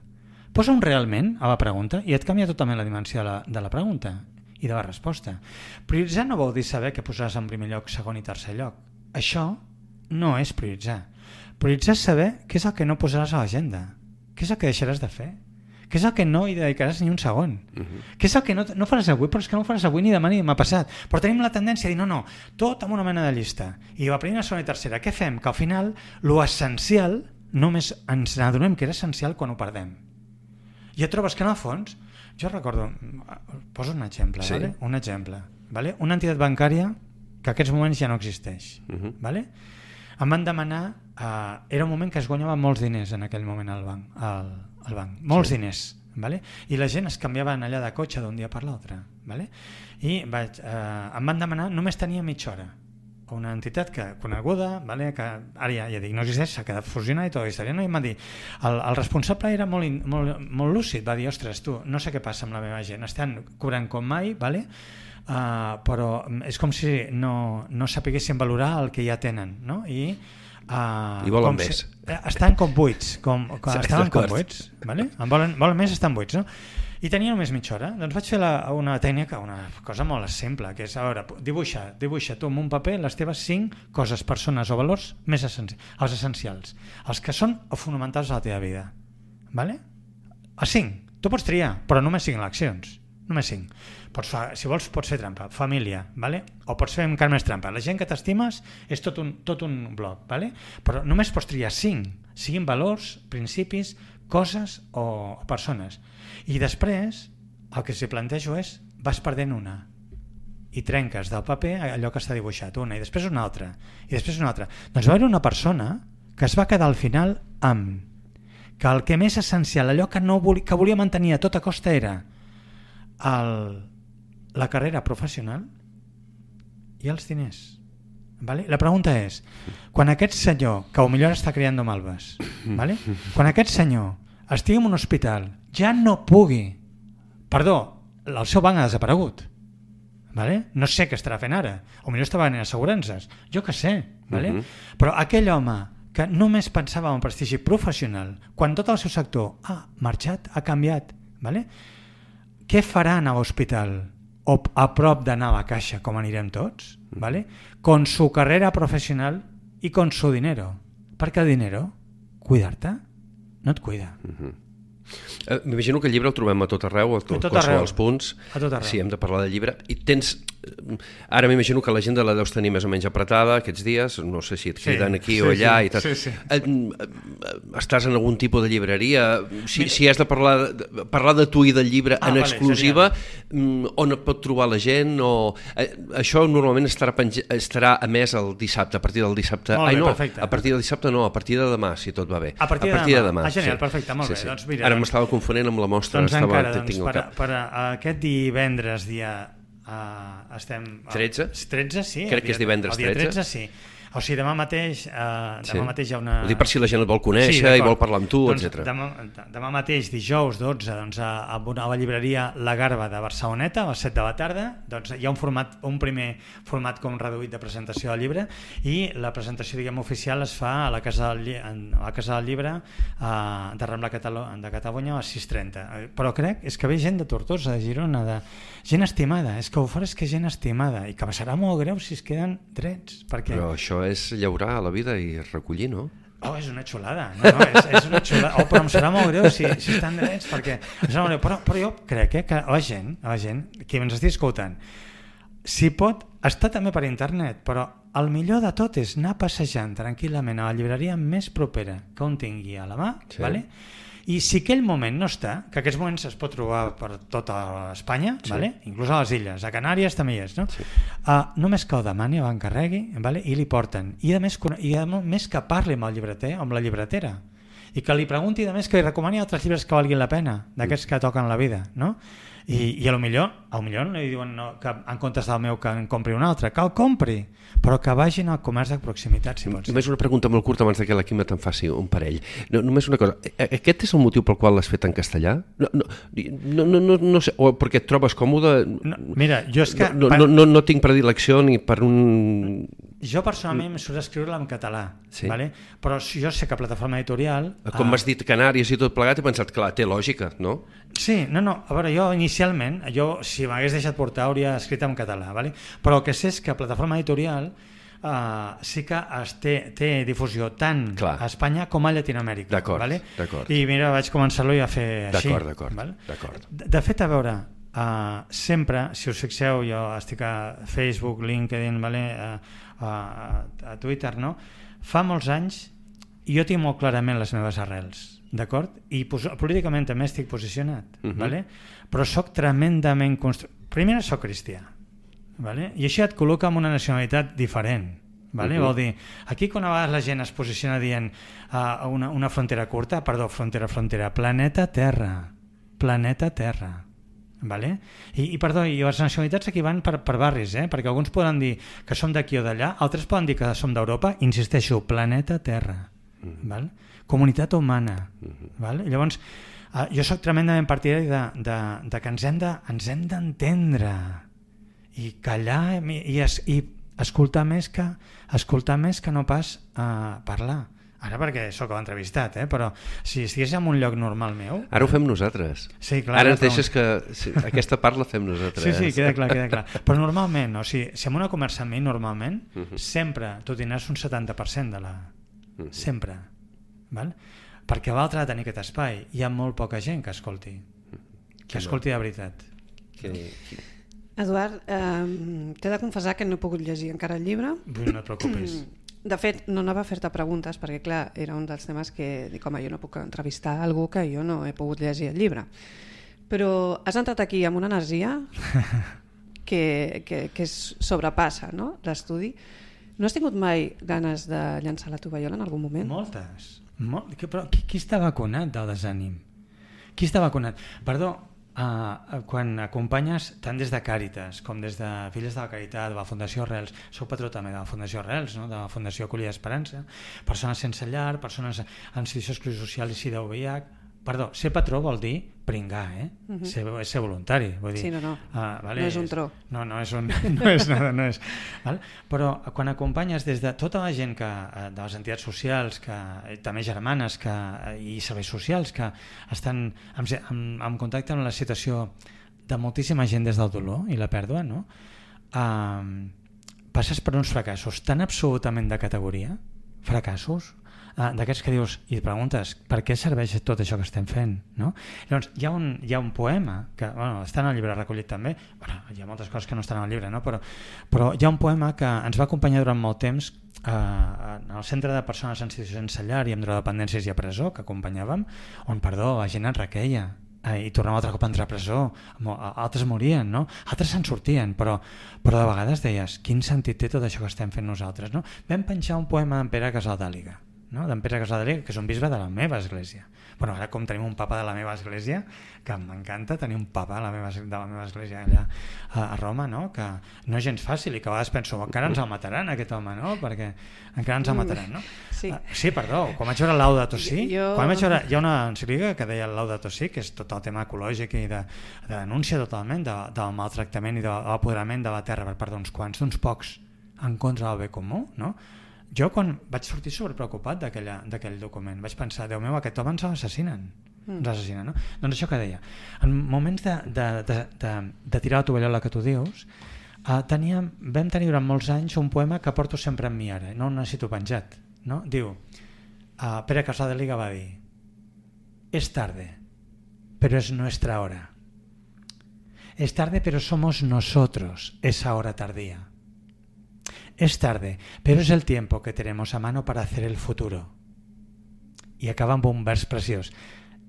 Posa un realment a la pregunta i et canvia totalment la dimensió de la pregunta i de la resposta. Prioritzar no vol dir saber què posaràs en primer lloc, segon i tercer lloc. Això no és prioritzar. Prioritzar és saber què és el que no posaràs a l'agenda, què és el que deixaràs de fer, què és el que no hi dedicaràs ni un segon, què és el que no faràs avui, però és que no ho faràs avui ni demà ni demà passat. Però tenim la tendència a dir no, tot amb una mena de llista. I la primera, segona i tercera, què fem? Que al final lo essencial només ens adonem que era essencial quan ho perdem. I et trobes que en el fons, jo recordo, poso un exemple, sí. ¿vale? Un exemple, ¿vale? Una entitat bancària que en aquests moments ja no existeix, ¿vale? Em van demanar, era un moment que es guanyava molts diners en aquell moment al banc, molts diners, ¿vale? I la gent es canviaven allà de cotxe d'un dia per l'altre, ¿vale? I em van demanar, només tenia mitja hora, una entitat coneguda, ¿vale? Que ara ja dic, no existeix, s'ha quedat fusionada i tota la història, no? I em van dir, el responsable era molt lúcid, va dir, ostres, tu, no sé què passa amb la meva gent, estan cobrant com mai, ¿vale? Però és com si no sapiguessin valorar el que ja tenen, no? I volen més. Estan com buits, estaven com buits, ¿vale? Volen més, estan buits, no? I tenia només mitja hora. Doncs vaig fer una tècnica, una cosa molt simple, que és, a veure, dibuixa tu amb un paper les teves 5 coses, persones o valors més els essencials, els que són fonamentals a la teva vida, ¿vale? Els 5, tu pots triar, però només 5 eleccions, només 5. Si vols pots fer trampa, família, ¿vale? O pots fer encara més trampa, la gent que t'estimes és tot un bloc, ¿vale? Però només pots triar 5, siguin valors, principis, coses o persones. I després el que s'hi plantejo és vas perdent una i trenques del paper allò que està dibuixat, una i després una altra i després una altra. Doncs va haver una persona que es va quedar al final amb que el que més essencial, allò que volia mantenir a tota costa era la carrera professional i els diners. Vale? La pregunta és, quan aquest senyor, que potser està criant malves, vale? Quan aquest senyor estigui en un hospital, ja no pugui, perdó, el seu banc ha desaparegut, vale? No sé què estarà fent ara, potser està venent assegurances, jo què sé, vale? Però aquell home que només pensava en prestigi professional, quan tot el seu sector ha marxat, ha canviat, vale? Què farà anar a l'hospital o a prop d'anar a la caixa, com anirem tots, ¿vale? Con su carrera professional y con su dinero? Perquè el dinero, cuidar-te, no et cuida. M'imagino que el llibre el trobem a tot arreu, a qualsevol dels punts. A tot arreu. Sí, hem de parlar del llibre. I tens... Ara m'imagino que l'agenda la deus tenir més o menys apretada aquests dies, no sé si et criden aquí o allà i tal. Sí. Estàs en algun tipus de llibreria? Si has de parlar de tu i del llibre en exclusiva, on et pot trobar la gent? Això normalment estarà emès el dissabte, a partir del dissabte. Molt bé, perfecte. A partir del dissabte no, a partir de demà, si tot va bé. A partir de demà. Genial, perfecte, molt bé. Doncs mira, ara m'estava confonent amb la mostra. Doncs encara, per aquest divendres estem... 13? 13, sí. Crec que és divendres 13. El dia 13, sí. O sigui, demà mateix hi ha una... Ho dic per si la gent et vol conèixer i vol parlar amb tu, doncs, etc. Demà mateix, dijous 12, doncs, a la llibreria La Garba de Barceloneta, a les 7 de la tarda, doncs, hi ha un primer format com reduït de presentació del llibre i la presentació, diguem, oficial es fa a la Casa del Llibre de Rambla de Catalunya a les 6:30. Però crec que ve gent de Tortosa, de Girona, gent estimada. És que ho farà, és gent estimada i que serà molt greu si es queden drets. Però això és llaurar a la vida i recollir, no? És una xulada. És una xulada. Però em serà molt greu si estan drets, perquè em serà molt greu. Però jo crec que la gent que ens estigui escoltant, si pot, està també per internet, però el millor de tot és anar passejant tranquil·lament a la llibreria més propera que un tingui a la mà, sí. Vale? I si aquell moment no està, que aquests moments es pot trobar per tota Espanya, sí. Vale? Inclús a les illes, a Canàries també hi és, no? Sí. Només que el demani, l'encarregui, vale? I li porten. I a més que parli amb el llibreter o amb la llibretera i que li pregunti, a més, que li recomani altres llibres que valguin la pena, d'aquests que toquen la vida, no? I a lo millor no li diuen que en comptes del meu que en compri un altre, que el compri, però que vagin al comerç de proximitat, si pot ser. Només una pregunta molt curta abans que la Quima te'n faci un parell. Només una cosa, aquest és el motiu pel qual l'has fet en castellà? No sé, o perquè et trobes còmode? Mira, jo és que... No tinc predilecció ni per un... Jo personalment m'he surt escriure-la en català, sí. Vale? Però jo sé que Plataforma Editorial... Com m'has dit Canàries i tot plegat, he pensat, clar, té lògica, no? Sí, no, a veure, jo inicialment, si m'hagués deixat portar hauria escrit en català, vale? Però el que sé és que Plataforma Editorial sí que té difusió tant a Espanya com a Llatinoamèrica. D'acord, vale? d'acord. I mira, vaig començar-lo ja a fer així. D'acord. Vale? De fet, a veure, sempre, si us fixeu, jo estic a Facebook, LinkedIn, vale? A Twitter, no? Fa molts anys jo tinc molt clarament les meves arrels, d'acord? I políticament també estic posicionat, vale? Però soc tremendament primer soc cristià, vale? I això et col·loca en una nacionalitat diferent, vale? Vol dir, aquí quan a vegades la gent es posiciona dient una frontera curta, frontera, planeta Terra, vale? I les nacionalitats aquí van per barris, perquè alguns poden dir que som d'aquí o d'allà, altres poden dir que som d'Europa, insisteixo, planeta Terra, val? Comunitat humana, val? Llavors jo soc tremendament partidari de que ens hem d'entendre i callar i escoltar més que no pas parlar. Ara perquè sóc l'entrevistat, però si estigués en un lloc normal meu... Ara ho fem nosaltres. Sí, clar. Ara ens deixes que aquesta part la fem nosaltres. Sí, queda clar. Però normalment, si en una conversa amb mi, normalment, sempre tu tindràs un 70% de la... Sempre. Val? Perquè l'altre ha de tenir aquest espai. Hi ha molt poca gent que escolti. Que escolti de veritat. Eduard, t'he de confessar que no he pogut llegir encara el llibre. No et preocupis. De fet, no anava a fer-te preguntes perquè, clar, era un dels temes que dic, home, jo no puc entrevistar algú que jo no he pogut llegir el llibre. Però has entrat aquí amb una energia que sobrepassa, no?, l'estudi. No has tingut mai ganes de llançar la tovallola en algun moment? Moltes. Però qui està vacunat del desànim? Qui està vacunat? Perdó, quan acompanyes tant des de Càritas com des de Filles de la Caritat, de la Fundació Arrels, sou patró també de la Fundació Arrels, no? De la Fundació Acollida Esperança, persones sense llar, persones en situació d'exclusió social i SIDA o VIH. Perdó, ser patró vol dir pringar, ser voluntari. Vull dir, sí, no. Vale, no és un tro. No és nada, no és. Val? Però quan acompanyes des de tota la gent de les entitats socials, també germanes i serveis socials que estan en contacte amb la situació de moltíssima gent des del dolor i la pèrdua, no? Passes per uns fracassos tan absolutament de categoria, fracassos, d'aquests que dius i et preguntes per què serveix tot això que estem fent, no? Llavors hi ha un poema que està en el llibre recollit també, hi ha moltes coses que no estan en el llibre, no? però hi ha un poema que ens va acompanyar durant molt temps en el centre de persones en situació sense llar i amb drogodependències i a presó que acompanyàvem, on la gent es requeia i tornava altre cop a entrar a presó, altres morien, no? Altres se'n sortien, però de vegades deies, quin sentit té tot això que estem fent nosaltres, no? Vam penjar un poema d'en Pere Casaldàliga, no? D'en Pere Casaldàliga, que és un bisbe de la meva església. Bueno, ara com tenim un papa de la meva església, que m'encanta tenir un papa de la meva església allà a Roma, no? Que no és gens fàcil i que a vegades penso, encara ens el mataran aquest home, no? Perquè encara ens el mataran, no? Sí, sí, perdó, quan vaig veure Laudato Si, hi ha una encíclica que deia Laudato Si, que és tot el tema ecològic i de denúncia totalment del maltractament i de l'apoderament de la terra per part d'uns quants, d'uns pocs, en contra del bé comú, no? Jo quan vaig sortir sobrepreocupat d'aquell document vaig pensar, Déu meu, aquest home ens l'assassinen, no? Doncs això que deia, en moments de tirar la tovallola que tu dius, vam tenir durant molts anys un poema que porto sempre amb mi ara, no el necessito penjat, no? Diu, Pere Casaldàliga va dir, es tarde, pero es nuestra hora. Es tarde, pero somos nosotros esa hora tardía. Es tarde, pero es el tiempo que tenemos a mano para hacer el futuro. Y acaba amb un vers preciós.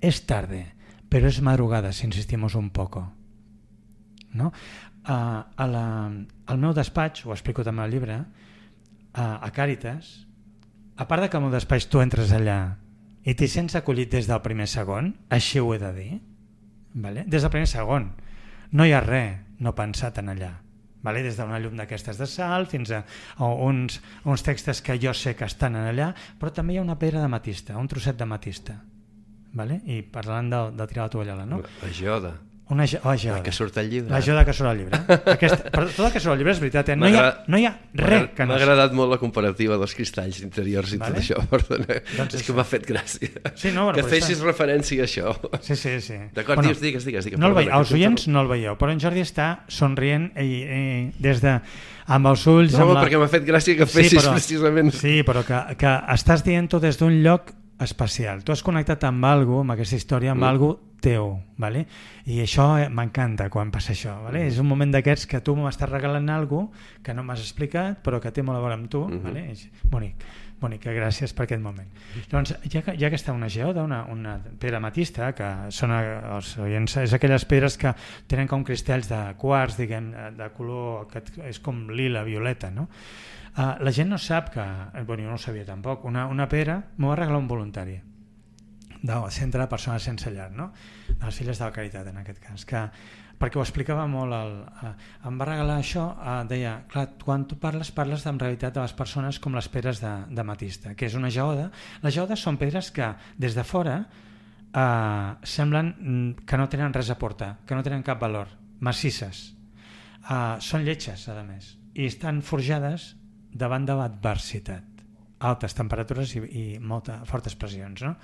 Es tarde, pero es madrugada si insistimos un poco. No? Al meu despatx, ho explico també al llibre, a Càritas, a part de que al meu despatx tu entres allà i t'hi sents acollit des del primer segon, així ho he de dir, vale? Des del primer segon, no hi ha res no pensat en allà. Vale? Des d'una llum d'aquestes de sal fins a uns textos que jo sé que estan allà, però també hi ha una pedra d'ametista, un trosset d'ametista, vale? I parlant de tirar la tovallola, no? La geoda. Una geoda. La que surt al llibre. La geoda que surt al llibre. Però tot el que surt al llibre és veritat, no hi ha res que no... M'ha agradat molt la comparativa dels cristalls interiors i tot això, perdona. Doncs és que m'ha fet gràcia. Sí, no, que fessis referència a això. Sí. D'acord, digues. No els oients no el veieu, però en Jordi està somrient des de... amb els ulls... No, perquè m'ha fet gràcia que fessis precisament... Sí, però que estàs dient-ho des d'un lloc especial. Tu has connectat amb alguna, amb aquesta història, amb alguna teu, vale? I això m'encanta quan passa això, vale? És un moment d'aquests que tu m'estàs regalant alguna que no m'has explicat però que té molt a veure amb tu, vale? És bonic, gràcies per aquest moment. Doncs ja que està una geoda, una pedra ametista, que són els oients, és aquelles pedres que tenen com cristalls de quars, diguem, de color que és com lila, violeta, no? La gent no sap que, jo no ho sabia tampoc, una pedra m'ho va regalar un voluntari del Centre de Persones Sense Llar, no? De les Filles de la Caritat, en aquest cas, perquè ho explicava molt, em va regalar això, deia, clar, quan tu parles en realitat de les persones com les pedres d'ametista, que és una geoda. Les geodes són pedres que des de fora semblen que no tenen res a aportar, que no tenen cap valor, massisses, són lletges, a més, i estan forjades davant de l'adversitat, altes temperatures i fortes pressions, no?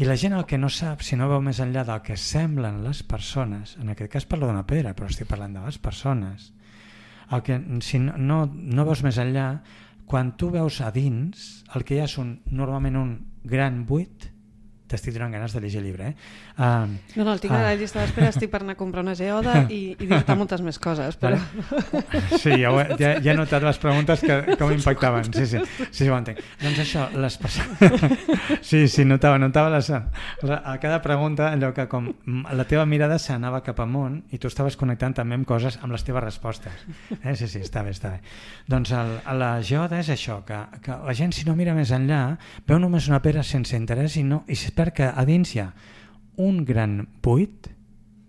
I la gent el que no sap, si no veu més enllà del que semblen les persones, en aquest cas parlo d'una pedra, però estic parlant de les persones, si no veus més enllà, quan tu veus a dins, el que hi ha és normalment un gran buit. T'estic donant ganes de llegir el llibre, No, el tinc a la llista d'espera, estic per anar a comprar una geoda i dir-te moltes més coses. Però... Sí, ja he notat les preguntes que m'impactaven. Sí, ho entenc. Doncs això, les persones... Sí, notava a cada pregunta allò que com la teva mirada s'anava cap amunt i tu estaves connectant també amb coses amb les teves respostes. Sí, està bé. Doncs la geoda és això, que la gent si no mira més enllà veu només una pedra sense interès i perd que a dins hi ha un gran buit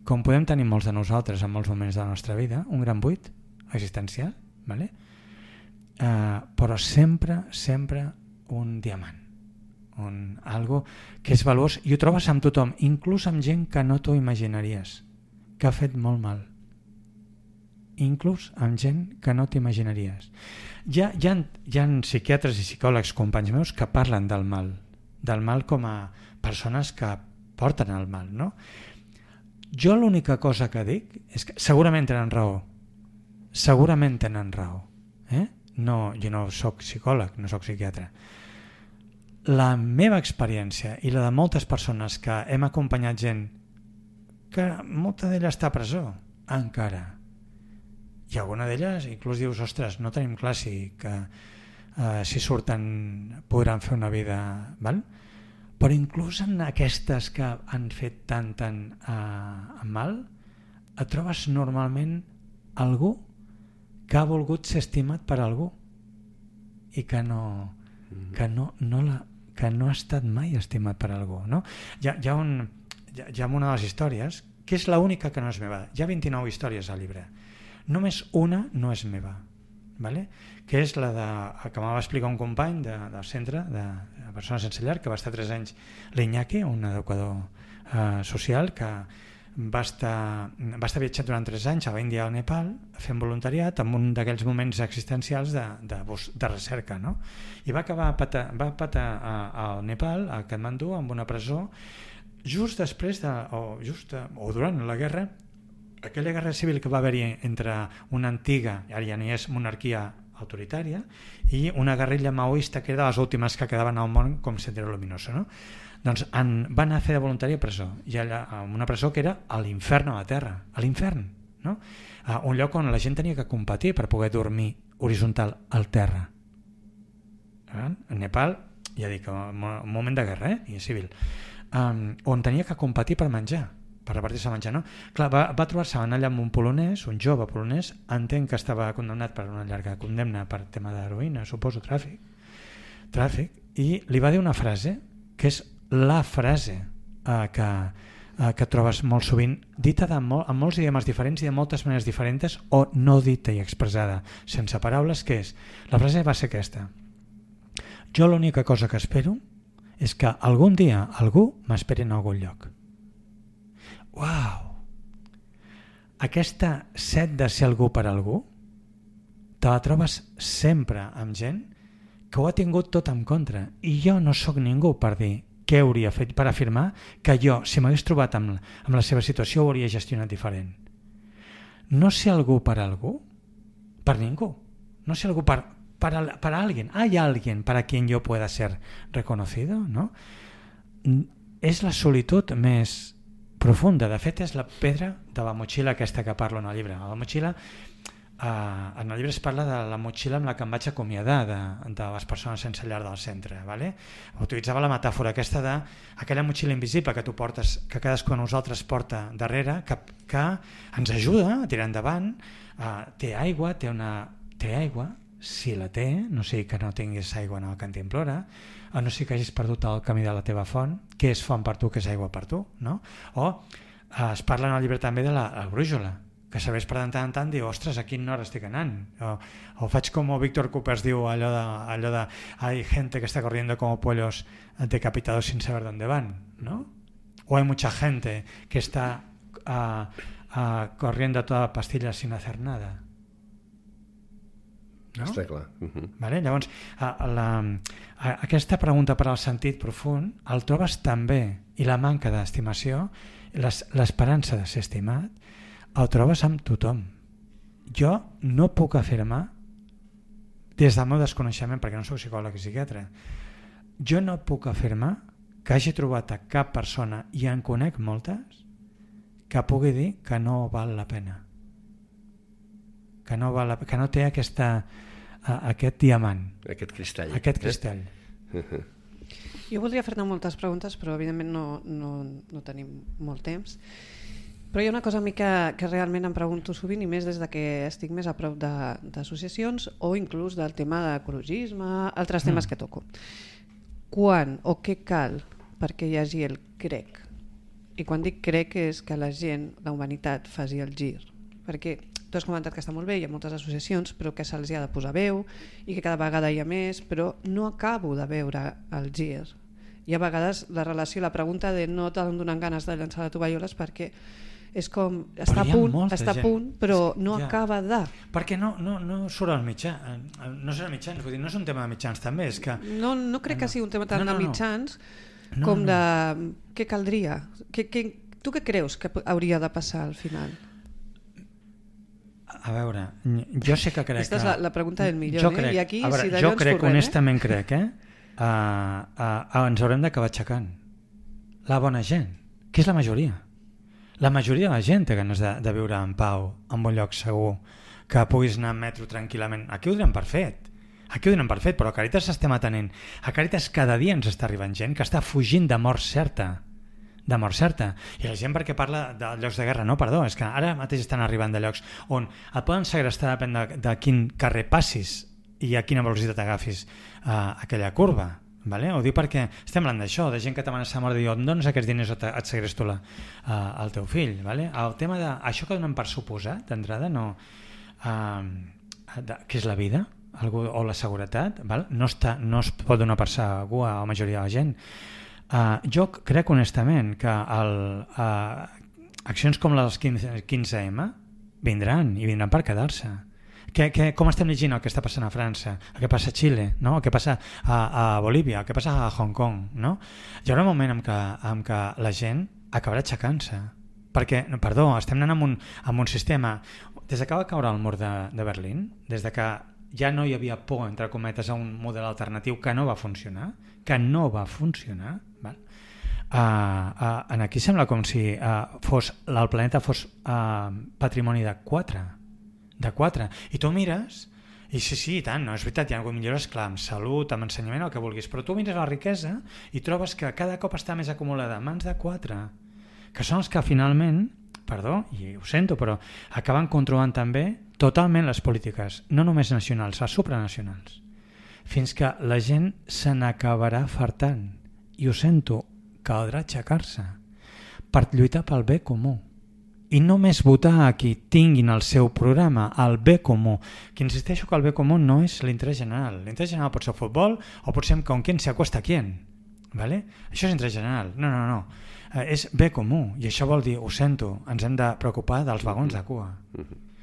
com podem tenir molts de nosaltres en molts moments de la nostra vida, un gran buit existencial, vale? Però sempre un diamant, algo que és valuós, i ho trobes amb tothom, inclús amb gent que no t'ho imaginaries, que ha fet molt mal, inclús amb gent que no t'imaginaries. Hi ha psiquiatres i psicòlegs, companys meus, que parlen del mal com a persones que porten el mal, no? Jo l'única cosa que dic és que segurament tenen raó, no, jo no soc psicòleg, no soc psiquiatre. La meva experiència i la de moltes persones que hem acompanyat gent que molta d'ella està a presó encara, i alguna d'elles inclús dius, ostres, no tenim clar si surten podran fer una vida, val? Però inclús en aquestes que han fet tant mal, et trobes normalment algú que ha volgut ser estimat per algú i que no ha estat mai estimat per algú, no? Hi ha una de les històries que és l'única que no és meva. Hi ha 29 històries al llibre, només una no és meva, vale? Que és la que m'ha explicar un company del centre de persones sense llar, que va estar 3 anys, l'Iñaki, un educador social que va estar viatjant durant 3 anys a l'Índia i al Nepal fent voluntariat en un d'aquells moments existencials de recerca, no? I va patar al Nepal, a Katmandú, en una presó, just després o durant la guerra, aquella guerra civil que va haver-hi entre una antiga, ara ja no hi és, monarquia autoritària i una guerrilla maoista que era de les últimes que quedaven al món com Sendero Luminoso, no? Doncs van anar a fer de voluntari a presó, i allà, una presó que era a l'infern a la terra, a l'infern, no? Un lloc on la gent tenia que competir per poder dormir horitzontal al terra. A Nepal, ja dic, un moment de guerra, i civil, on tenia que competir per menjar, per repartir-se a menjar, no? Clar, va trobar-se allà amb un polonès, un jove polonès, entenc que estava condemnat per una llarga condemna per tema d'heroïna, suposo, tràfic, i li va dir una frase que és la frase que trobes molt sovint, dita en molts idiomes diferents i de moltes maneres diferents, o no dita i expressada sense paraules, que és, la frase va ser aquesta: jo l'única cosa que espero és que algun dia algú m'esperi en algun lloc. Uau! Aquesta set de ser algú per algú te la trobes sempre amb gent que ho ha tingut tot en contra, i jo no sóc ningú per dir què hauria fet, per afirmar que jo, si m'hagués trobat amb la seva situació, ho hauria gestionat diferent. No ser algú per algú, per ningú. No ser algú para alguien. Hay alguien para quien yo pueda ser reconocido, ¿no? És la solitud més profunda. De fet, és la pedra de la motxilla aquesta que parlo en el llibre. La motxilla, en el llibre es parla de la motxilla amb la que em vaig acomiadar de les persones sense llar del centre, ¿vale? Utilitzava la metàfora aquesta d'aquella motxilla invisible que tu portes, que cadascú de nosaltres porta darrere, que ens ajuda a tirar endavant. Té aigua, si la té, no sigui que no tinguis aigua en el cantimplora, no sigui que hagis perdut el camí de la teva font, què és font per tu, què és aigua per tu, no? O es parla en el llibre també de la brújula, que sabés per tant en tant dir, ostres, a quina hora estic anant? O faig com Víctor Coopers diu allò de hay gente que está corriendo como pollos decapitados sin saber dónde van, ¿no? O hay mucha gente que está corriendo a toda pastilla sin hacer nada. No? Està clar. Vale? Llavors, aquesta pregunta per al sentit profund el trobes també, i la manca d'estimació, l'esperança de ser estimat, el trobes amb tothom. Jo no puc afirmar, des del meu desconeixement, perquè no soc psicòleg i psiquiatre, jo no puc afirmar que hagi trobat a cap persona, i en conec moltes, que pugui dir que no val la pena. Que no té aquest diamant. Aquest cristall. Jo voldria fer-te moltes preguntes, però evidentment no tenim molt temps. Però hi ha una cosa a mi que realment em pregunto sovint, i més des que estic més a prop d'associacions o inclús del tema d'ecologisme, altres temes que toco. Quan o què cal perquè hi hagi el crec I quan dic crec és que la gent, la humanitat, faci el gir. Perquè tu has comentat que està molt bé, hi ha moltes associacions, però que se'ls ha de posar veu i que cada vegada hi ha més, però no acabo de veure el gir. I a vegades la relació, la pregunta de no t'han donat ganes de llançar la tovallola és perquè és com, està a punt, però no acaba de... Perquè no surt al mitjà, no serà mitjans, vull dir, no és un tema de mitjans també, és que... No crec que sigui un tema tant de mitjans com de què caldria. Tu què creus que hauria de passar al final? A veure, jo sé que crec... Aquesta és la pregunta del milió, crec, i aquí veure, si d'allò ens crec, honestament crec, ens haurem d'acabar aixecant. La bona gent, que és la majoria. La majoria de la gent té ganes de viure en pau, en un lloc segur, que puguis anar en metro tranquil·lament. Aquí ho donem per fet. Però a Càritas s'estem atenent. A Càritas cada dia ens està arribant gent que està fugint de mort certa. I la gent perquè parla de llocs de guerra, no, perdó, és que ara mateix estan arribant de llocs on et poden segrestar depèn de quin carrer passis i a quina velocitat agafis aquella curva. Vale? Ho dic perquè estem parlant d'això, de gent que t'amenaça a mort i diu, em dones aquests diners o et segresto el teu fill. Vale? El tema d'això que donem per suposat d'entrada, no, que és la vida o la seguretat, val? No es pot donar per segur a la majoria de la gent. Jo crec honestament que accions com les 15M vindran per quedar-se. Com estem llegint el que està passant a França, el que passa a Xile, no? El que passa a Bolívia, el que passa a Hong Kong, no? Hi haurà un moment en què la gent acabarà aixecant-se, perquè, perdó, estem anant amb un sistema, des que va caure el mur de Berlín, des que ja no hi havia por, entre cometes, a un model alternatiu que no va funcionar, val? Aquí sembla com si el planeta fos patrimoni de 4. I tu mires i sí, i tant, no, és veritat, hi ha alguna millores, clar, amb salut, amb ensenyament, el que vulguis, però tu mires la riquesa i trobes que cada cop està més acumulada en mans de 4, que són els que finalment, perdó, i ho sento, però acaben controlant també totalment les polítiques, no només nacionals, les supranacionals, fins que la gent se n'acabarà fartant, i ho sento, caldrà aixecar-se per lluitar pel bé comú. I només votar a qui tinguin el seu programa, el bé comú. Que insisteixo que el bé comú no és l'interès general. L'interès general pot ser el futbol o pot ser con quién se acuesta quién. ¿Vale? Això és interès general. No. És bé comú. I això vol dir, ho sento, ens hem de preocupar dels vagons de cua.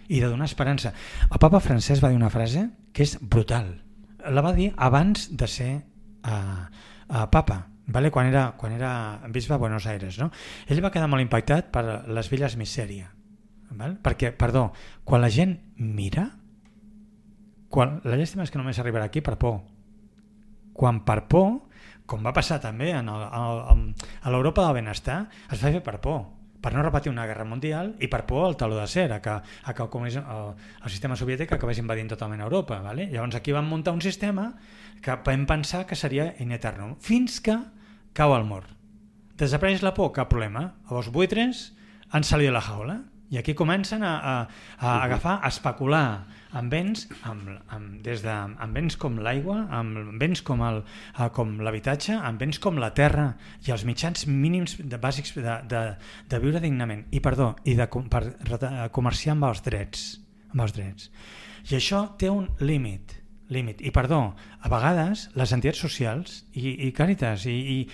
I de donar esperança. El papa Francesc va dir una frase que és brutal. La va dir abans de ser papa. Vale? Quan era bisbe a Buenos Aires, no? Ell va quedar molt impactat per les villes misèria, val? Perquè, perdó, quan la gent mira, la llàstima és que només arribarà aquí per por. Quan per por, com va passar també a l'Europa del benestar, es va fer per por, per no repetir una guerra mundial i per por al taló d'acer, que el sistema soviètic acabés invadint totalment Europa. Vale? Llavors aquí van muntar un sistema que vam pensar que seria in eternum, fins que cau el mur. Desapareix la por, cap problema. Els buitres han salit de la jaula i aquí comencen a agafar, a especular amb béns, amb béns com l'aigua, amb béns com l'habitatge, amb béns com la terra i els mitjans mínims bàsics de viure dignament i per comerciar amb els drets. I això té un límit. I perdó, a vegades les entitats socials i Càritas i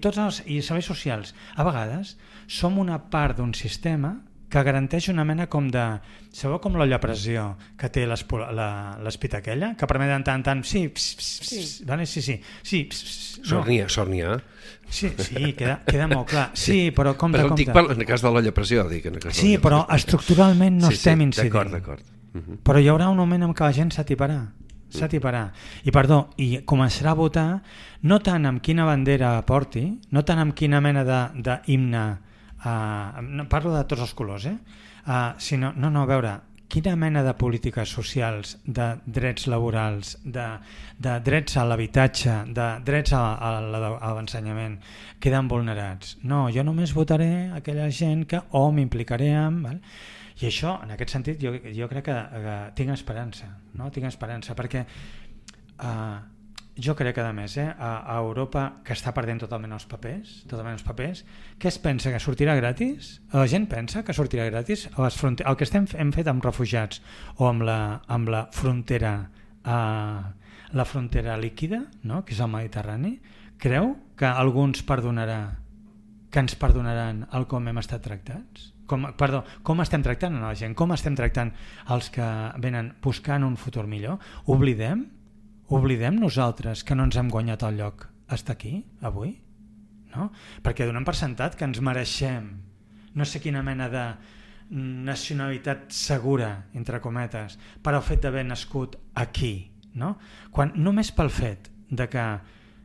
tots els serveis socials, a vegades som una part d'un sistema que garanteix una mena com de... Sabeu com l'olla a pressió que té l'espita aquella? Que permet de tant en tant... Sí. Sornia. Sí, queda molt clar. Sí, però compte. Però dic en el cas de l'olla a pressió. Sí, però estructuralment no estem incidint. D'acord. Però hi haurà un moment en què la gent s'atiparà. I començarà a votar no tant amb quina bandera porti, no tant amb quina mena d'himne, parlo de tots els colors, sinó, a veure, quina mena de polítiques socials, de drets laborals, de drets a l'habitatge, de drets a l'ensenyament queden vulnerats. No, jo només votaré aquella gent que m'implicaré amb... Val? I això, en aquest sentit, jo crec que tinc esperança, no? Tinc esperança, perquè jo crec que a més, a Europa, que està perdent totalment els papers, què es pensa, que sortirà gratis? La gent pensa que sortirà gratis? El que hem fet amb refugiats o amb la frontera la frontera líquida, no? Que és el Mediterrani, creu que algú ens perdonarà, que ens perdonaran el com hem estat tractats? Com estem tractant a la gent? Com estem tractant els que venen buscant un futur millor? Oblidem nosaltres que no ens hem guanyat el lloc estar aquí, avui? No? Perquè donem per sentat que ens mereixem no sé quina mena de nacionalitat segura, entre cometes, per al fet d'haver nascut aquí. No? Quan només pel fet de que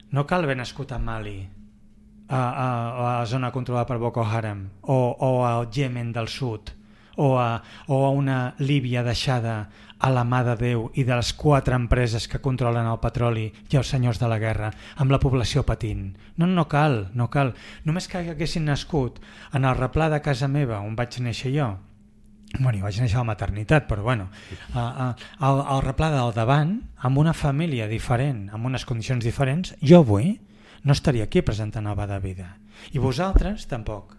no cal haver nascut a Mali, a la zona controlada per Boko Haram, o al Yemen del Sud, o a una Líbia deixada a la mà de Déu i de les 4 empreses que controlen el petroli i els senyors de la guerra, amb la població patint. No cal. Només que haguessin nascut en el replà de casa meva, on vaig néixer jo, bueno, vaig néixer a la maternitat, però bueno, al replà del davant, amb una família diferent, amb unes condicions diferents, jo avui no estaria aquí presentant el Va de Vida. I vosaltres tampoc.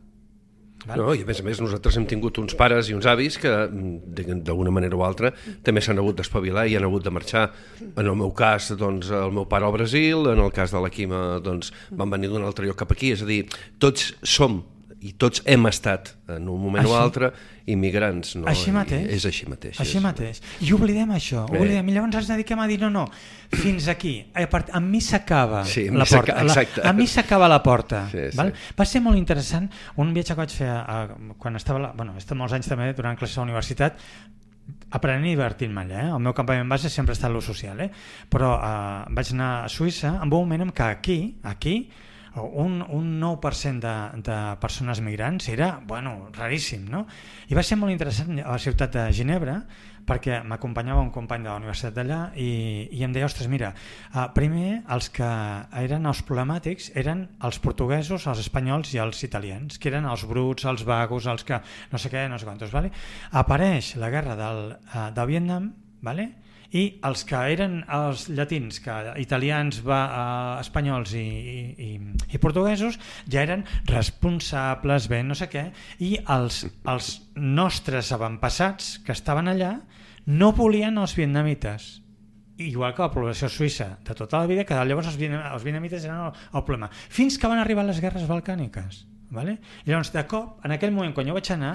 Val? No, i a més nosaltres hem tingut uns pares i uns avis que d'alguna manera o altra també s'han hagut d'espavilar i han hagut de marxar. En el meu cas, doncs, el meu pare al Brasil, en el cas de la Quima, doncs, van venir d'un altre lloc cap aquí. És a dir, tots som i tots hem estat en un moment o altre immigrants, no? Així mateix. És així mateix. Així mateix. I oblidem això. I llavors ens dediquem a dir no, fins aquí. A mi s'acaba la porta. A mi s'acaba la porta. Val? Va ser molt interessant un viatge que vaig fer quan estava... Bueno, he estat molts anys també durant classes a la universitat aprenent i divertint-me allà. El meu campament base sempre ha estat l'ús social, però vaig anar a Suïssa en un moment en què aquí un 9% de persones migrants era, raríssim, no? I va ser molt interessant a la ciutat de Ginebra perquè m'acompanyava un company de la universitat d'allà i em deia, ostres, mira, primer els que eren els problemàtics eren els portuguesos, els espanyols i els italians, que eren els bruts, els vagos, els que no sé què, no sé quantos, vale? Apareix la guerra del Vietnam, vale? I els que eren els llatins, italians, espanyols i portuguesos, ja eren responsables, no sé què, i els nostres avantpassats que estaven allà no volien els vietnamites, igual que la població suïssa de tota la vida, que llavors els vietnamites eren el problema, fins que van arribar les guerres balcàniques. Vale? I llavors de cop, en aquell moment quan jo vaig anar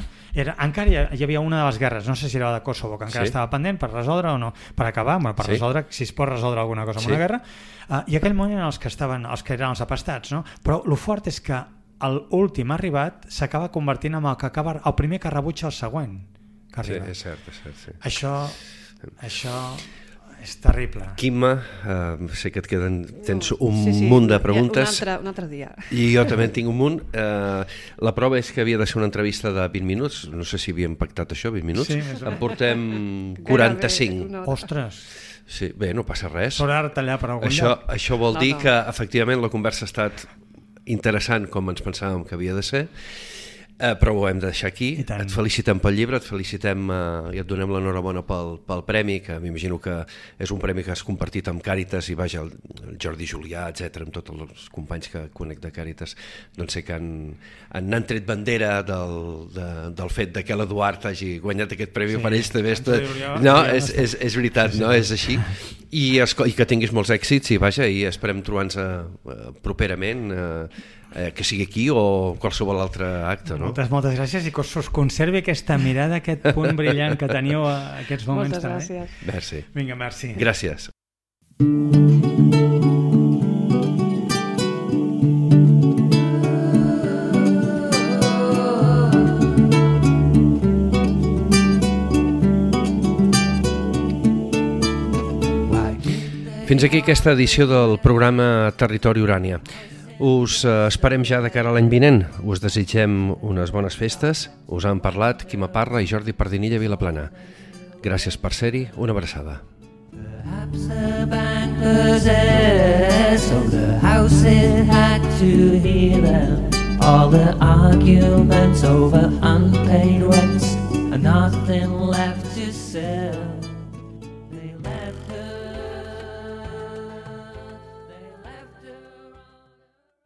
encara hi havia una de les guerres, no sé si era la de Kosovo, que encara estava pendent per resoldre o no, per acabar, resoldre, si es pot resoldre alguna cosa amb una guerra, i aquell moment eren els que eren els apastats, no? Però el fort és que l'últim arribat s'acaba convertint en el primer que rebutja el següent que arriba. Sí, és cert, sí. Això és terrible. Quima, sé que tens un munt de preguntes. Un altre dia. I jo també en tinc un munt. La prova és que havia de ser una entrevista de 20 minuts. No sé si havíem pactat això, 20 minuts. Sí, en portem 45. Ostres. Sí, bé, no passa res. S'haurà de tallar per algun lloc. Això vol dir que efectivament la conversa ha estat interessant com ens pensàvem que havia de ser. Però ho hem de deixar aquí. Et felicitem pel llibre, et felicitem i et donem l'enhorabona pel premi, que m'imagino que és un premi que has compartit amb Càritas i vaja, el Jordi Julià, etc, amb tots els companys que conec de Càritas, doncs sé que han tret bandera del fet que l'Eduard hagi guanyat aquest premi per ells també. No, és veritat, no? És així. I que tinguis molts èxits i vaja, i esperem trobar-nos properament, que sigui aquí o qualsevol altre acte, no? Moltes gràcies i que us conservi aquesta mirada, aquest punt brillant que teniu a aquests moments. Moltes gràcies. Merci. Vinga, merci. Gràcies. Fins aquí aquesta edició del programa Territori Urània. Us esperem ja de cara a l'any vinent. Us desitgem unes bones festes. Us han parlat Quima Parra i Jordi Pardinilla Vilaplana. Gràcies per ser-hi. Una abraçada. Perhaps the bank possessed so the house it had to hear them. All the arguments over unpaid rents and nothing left to sell.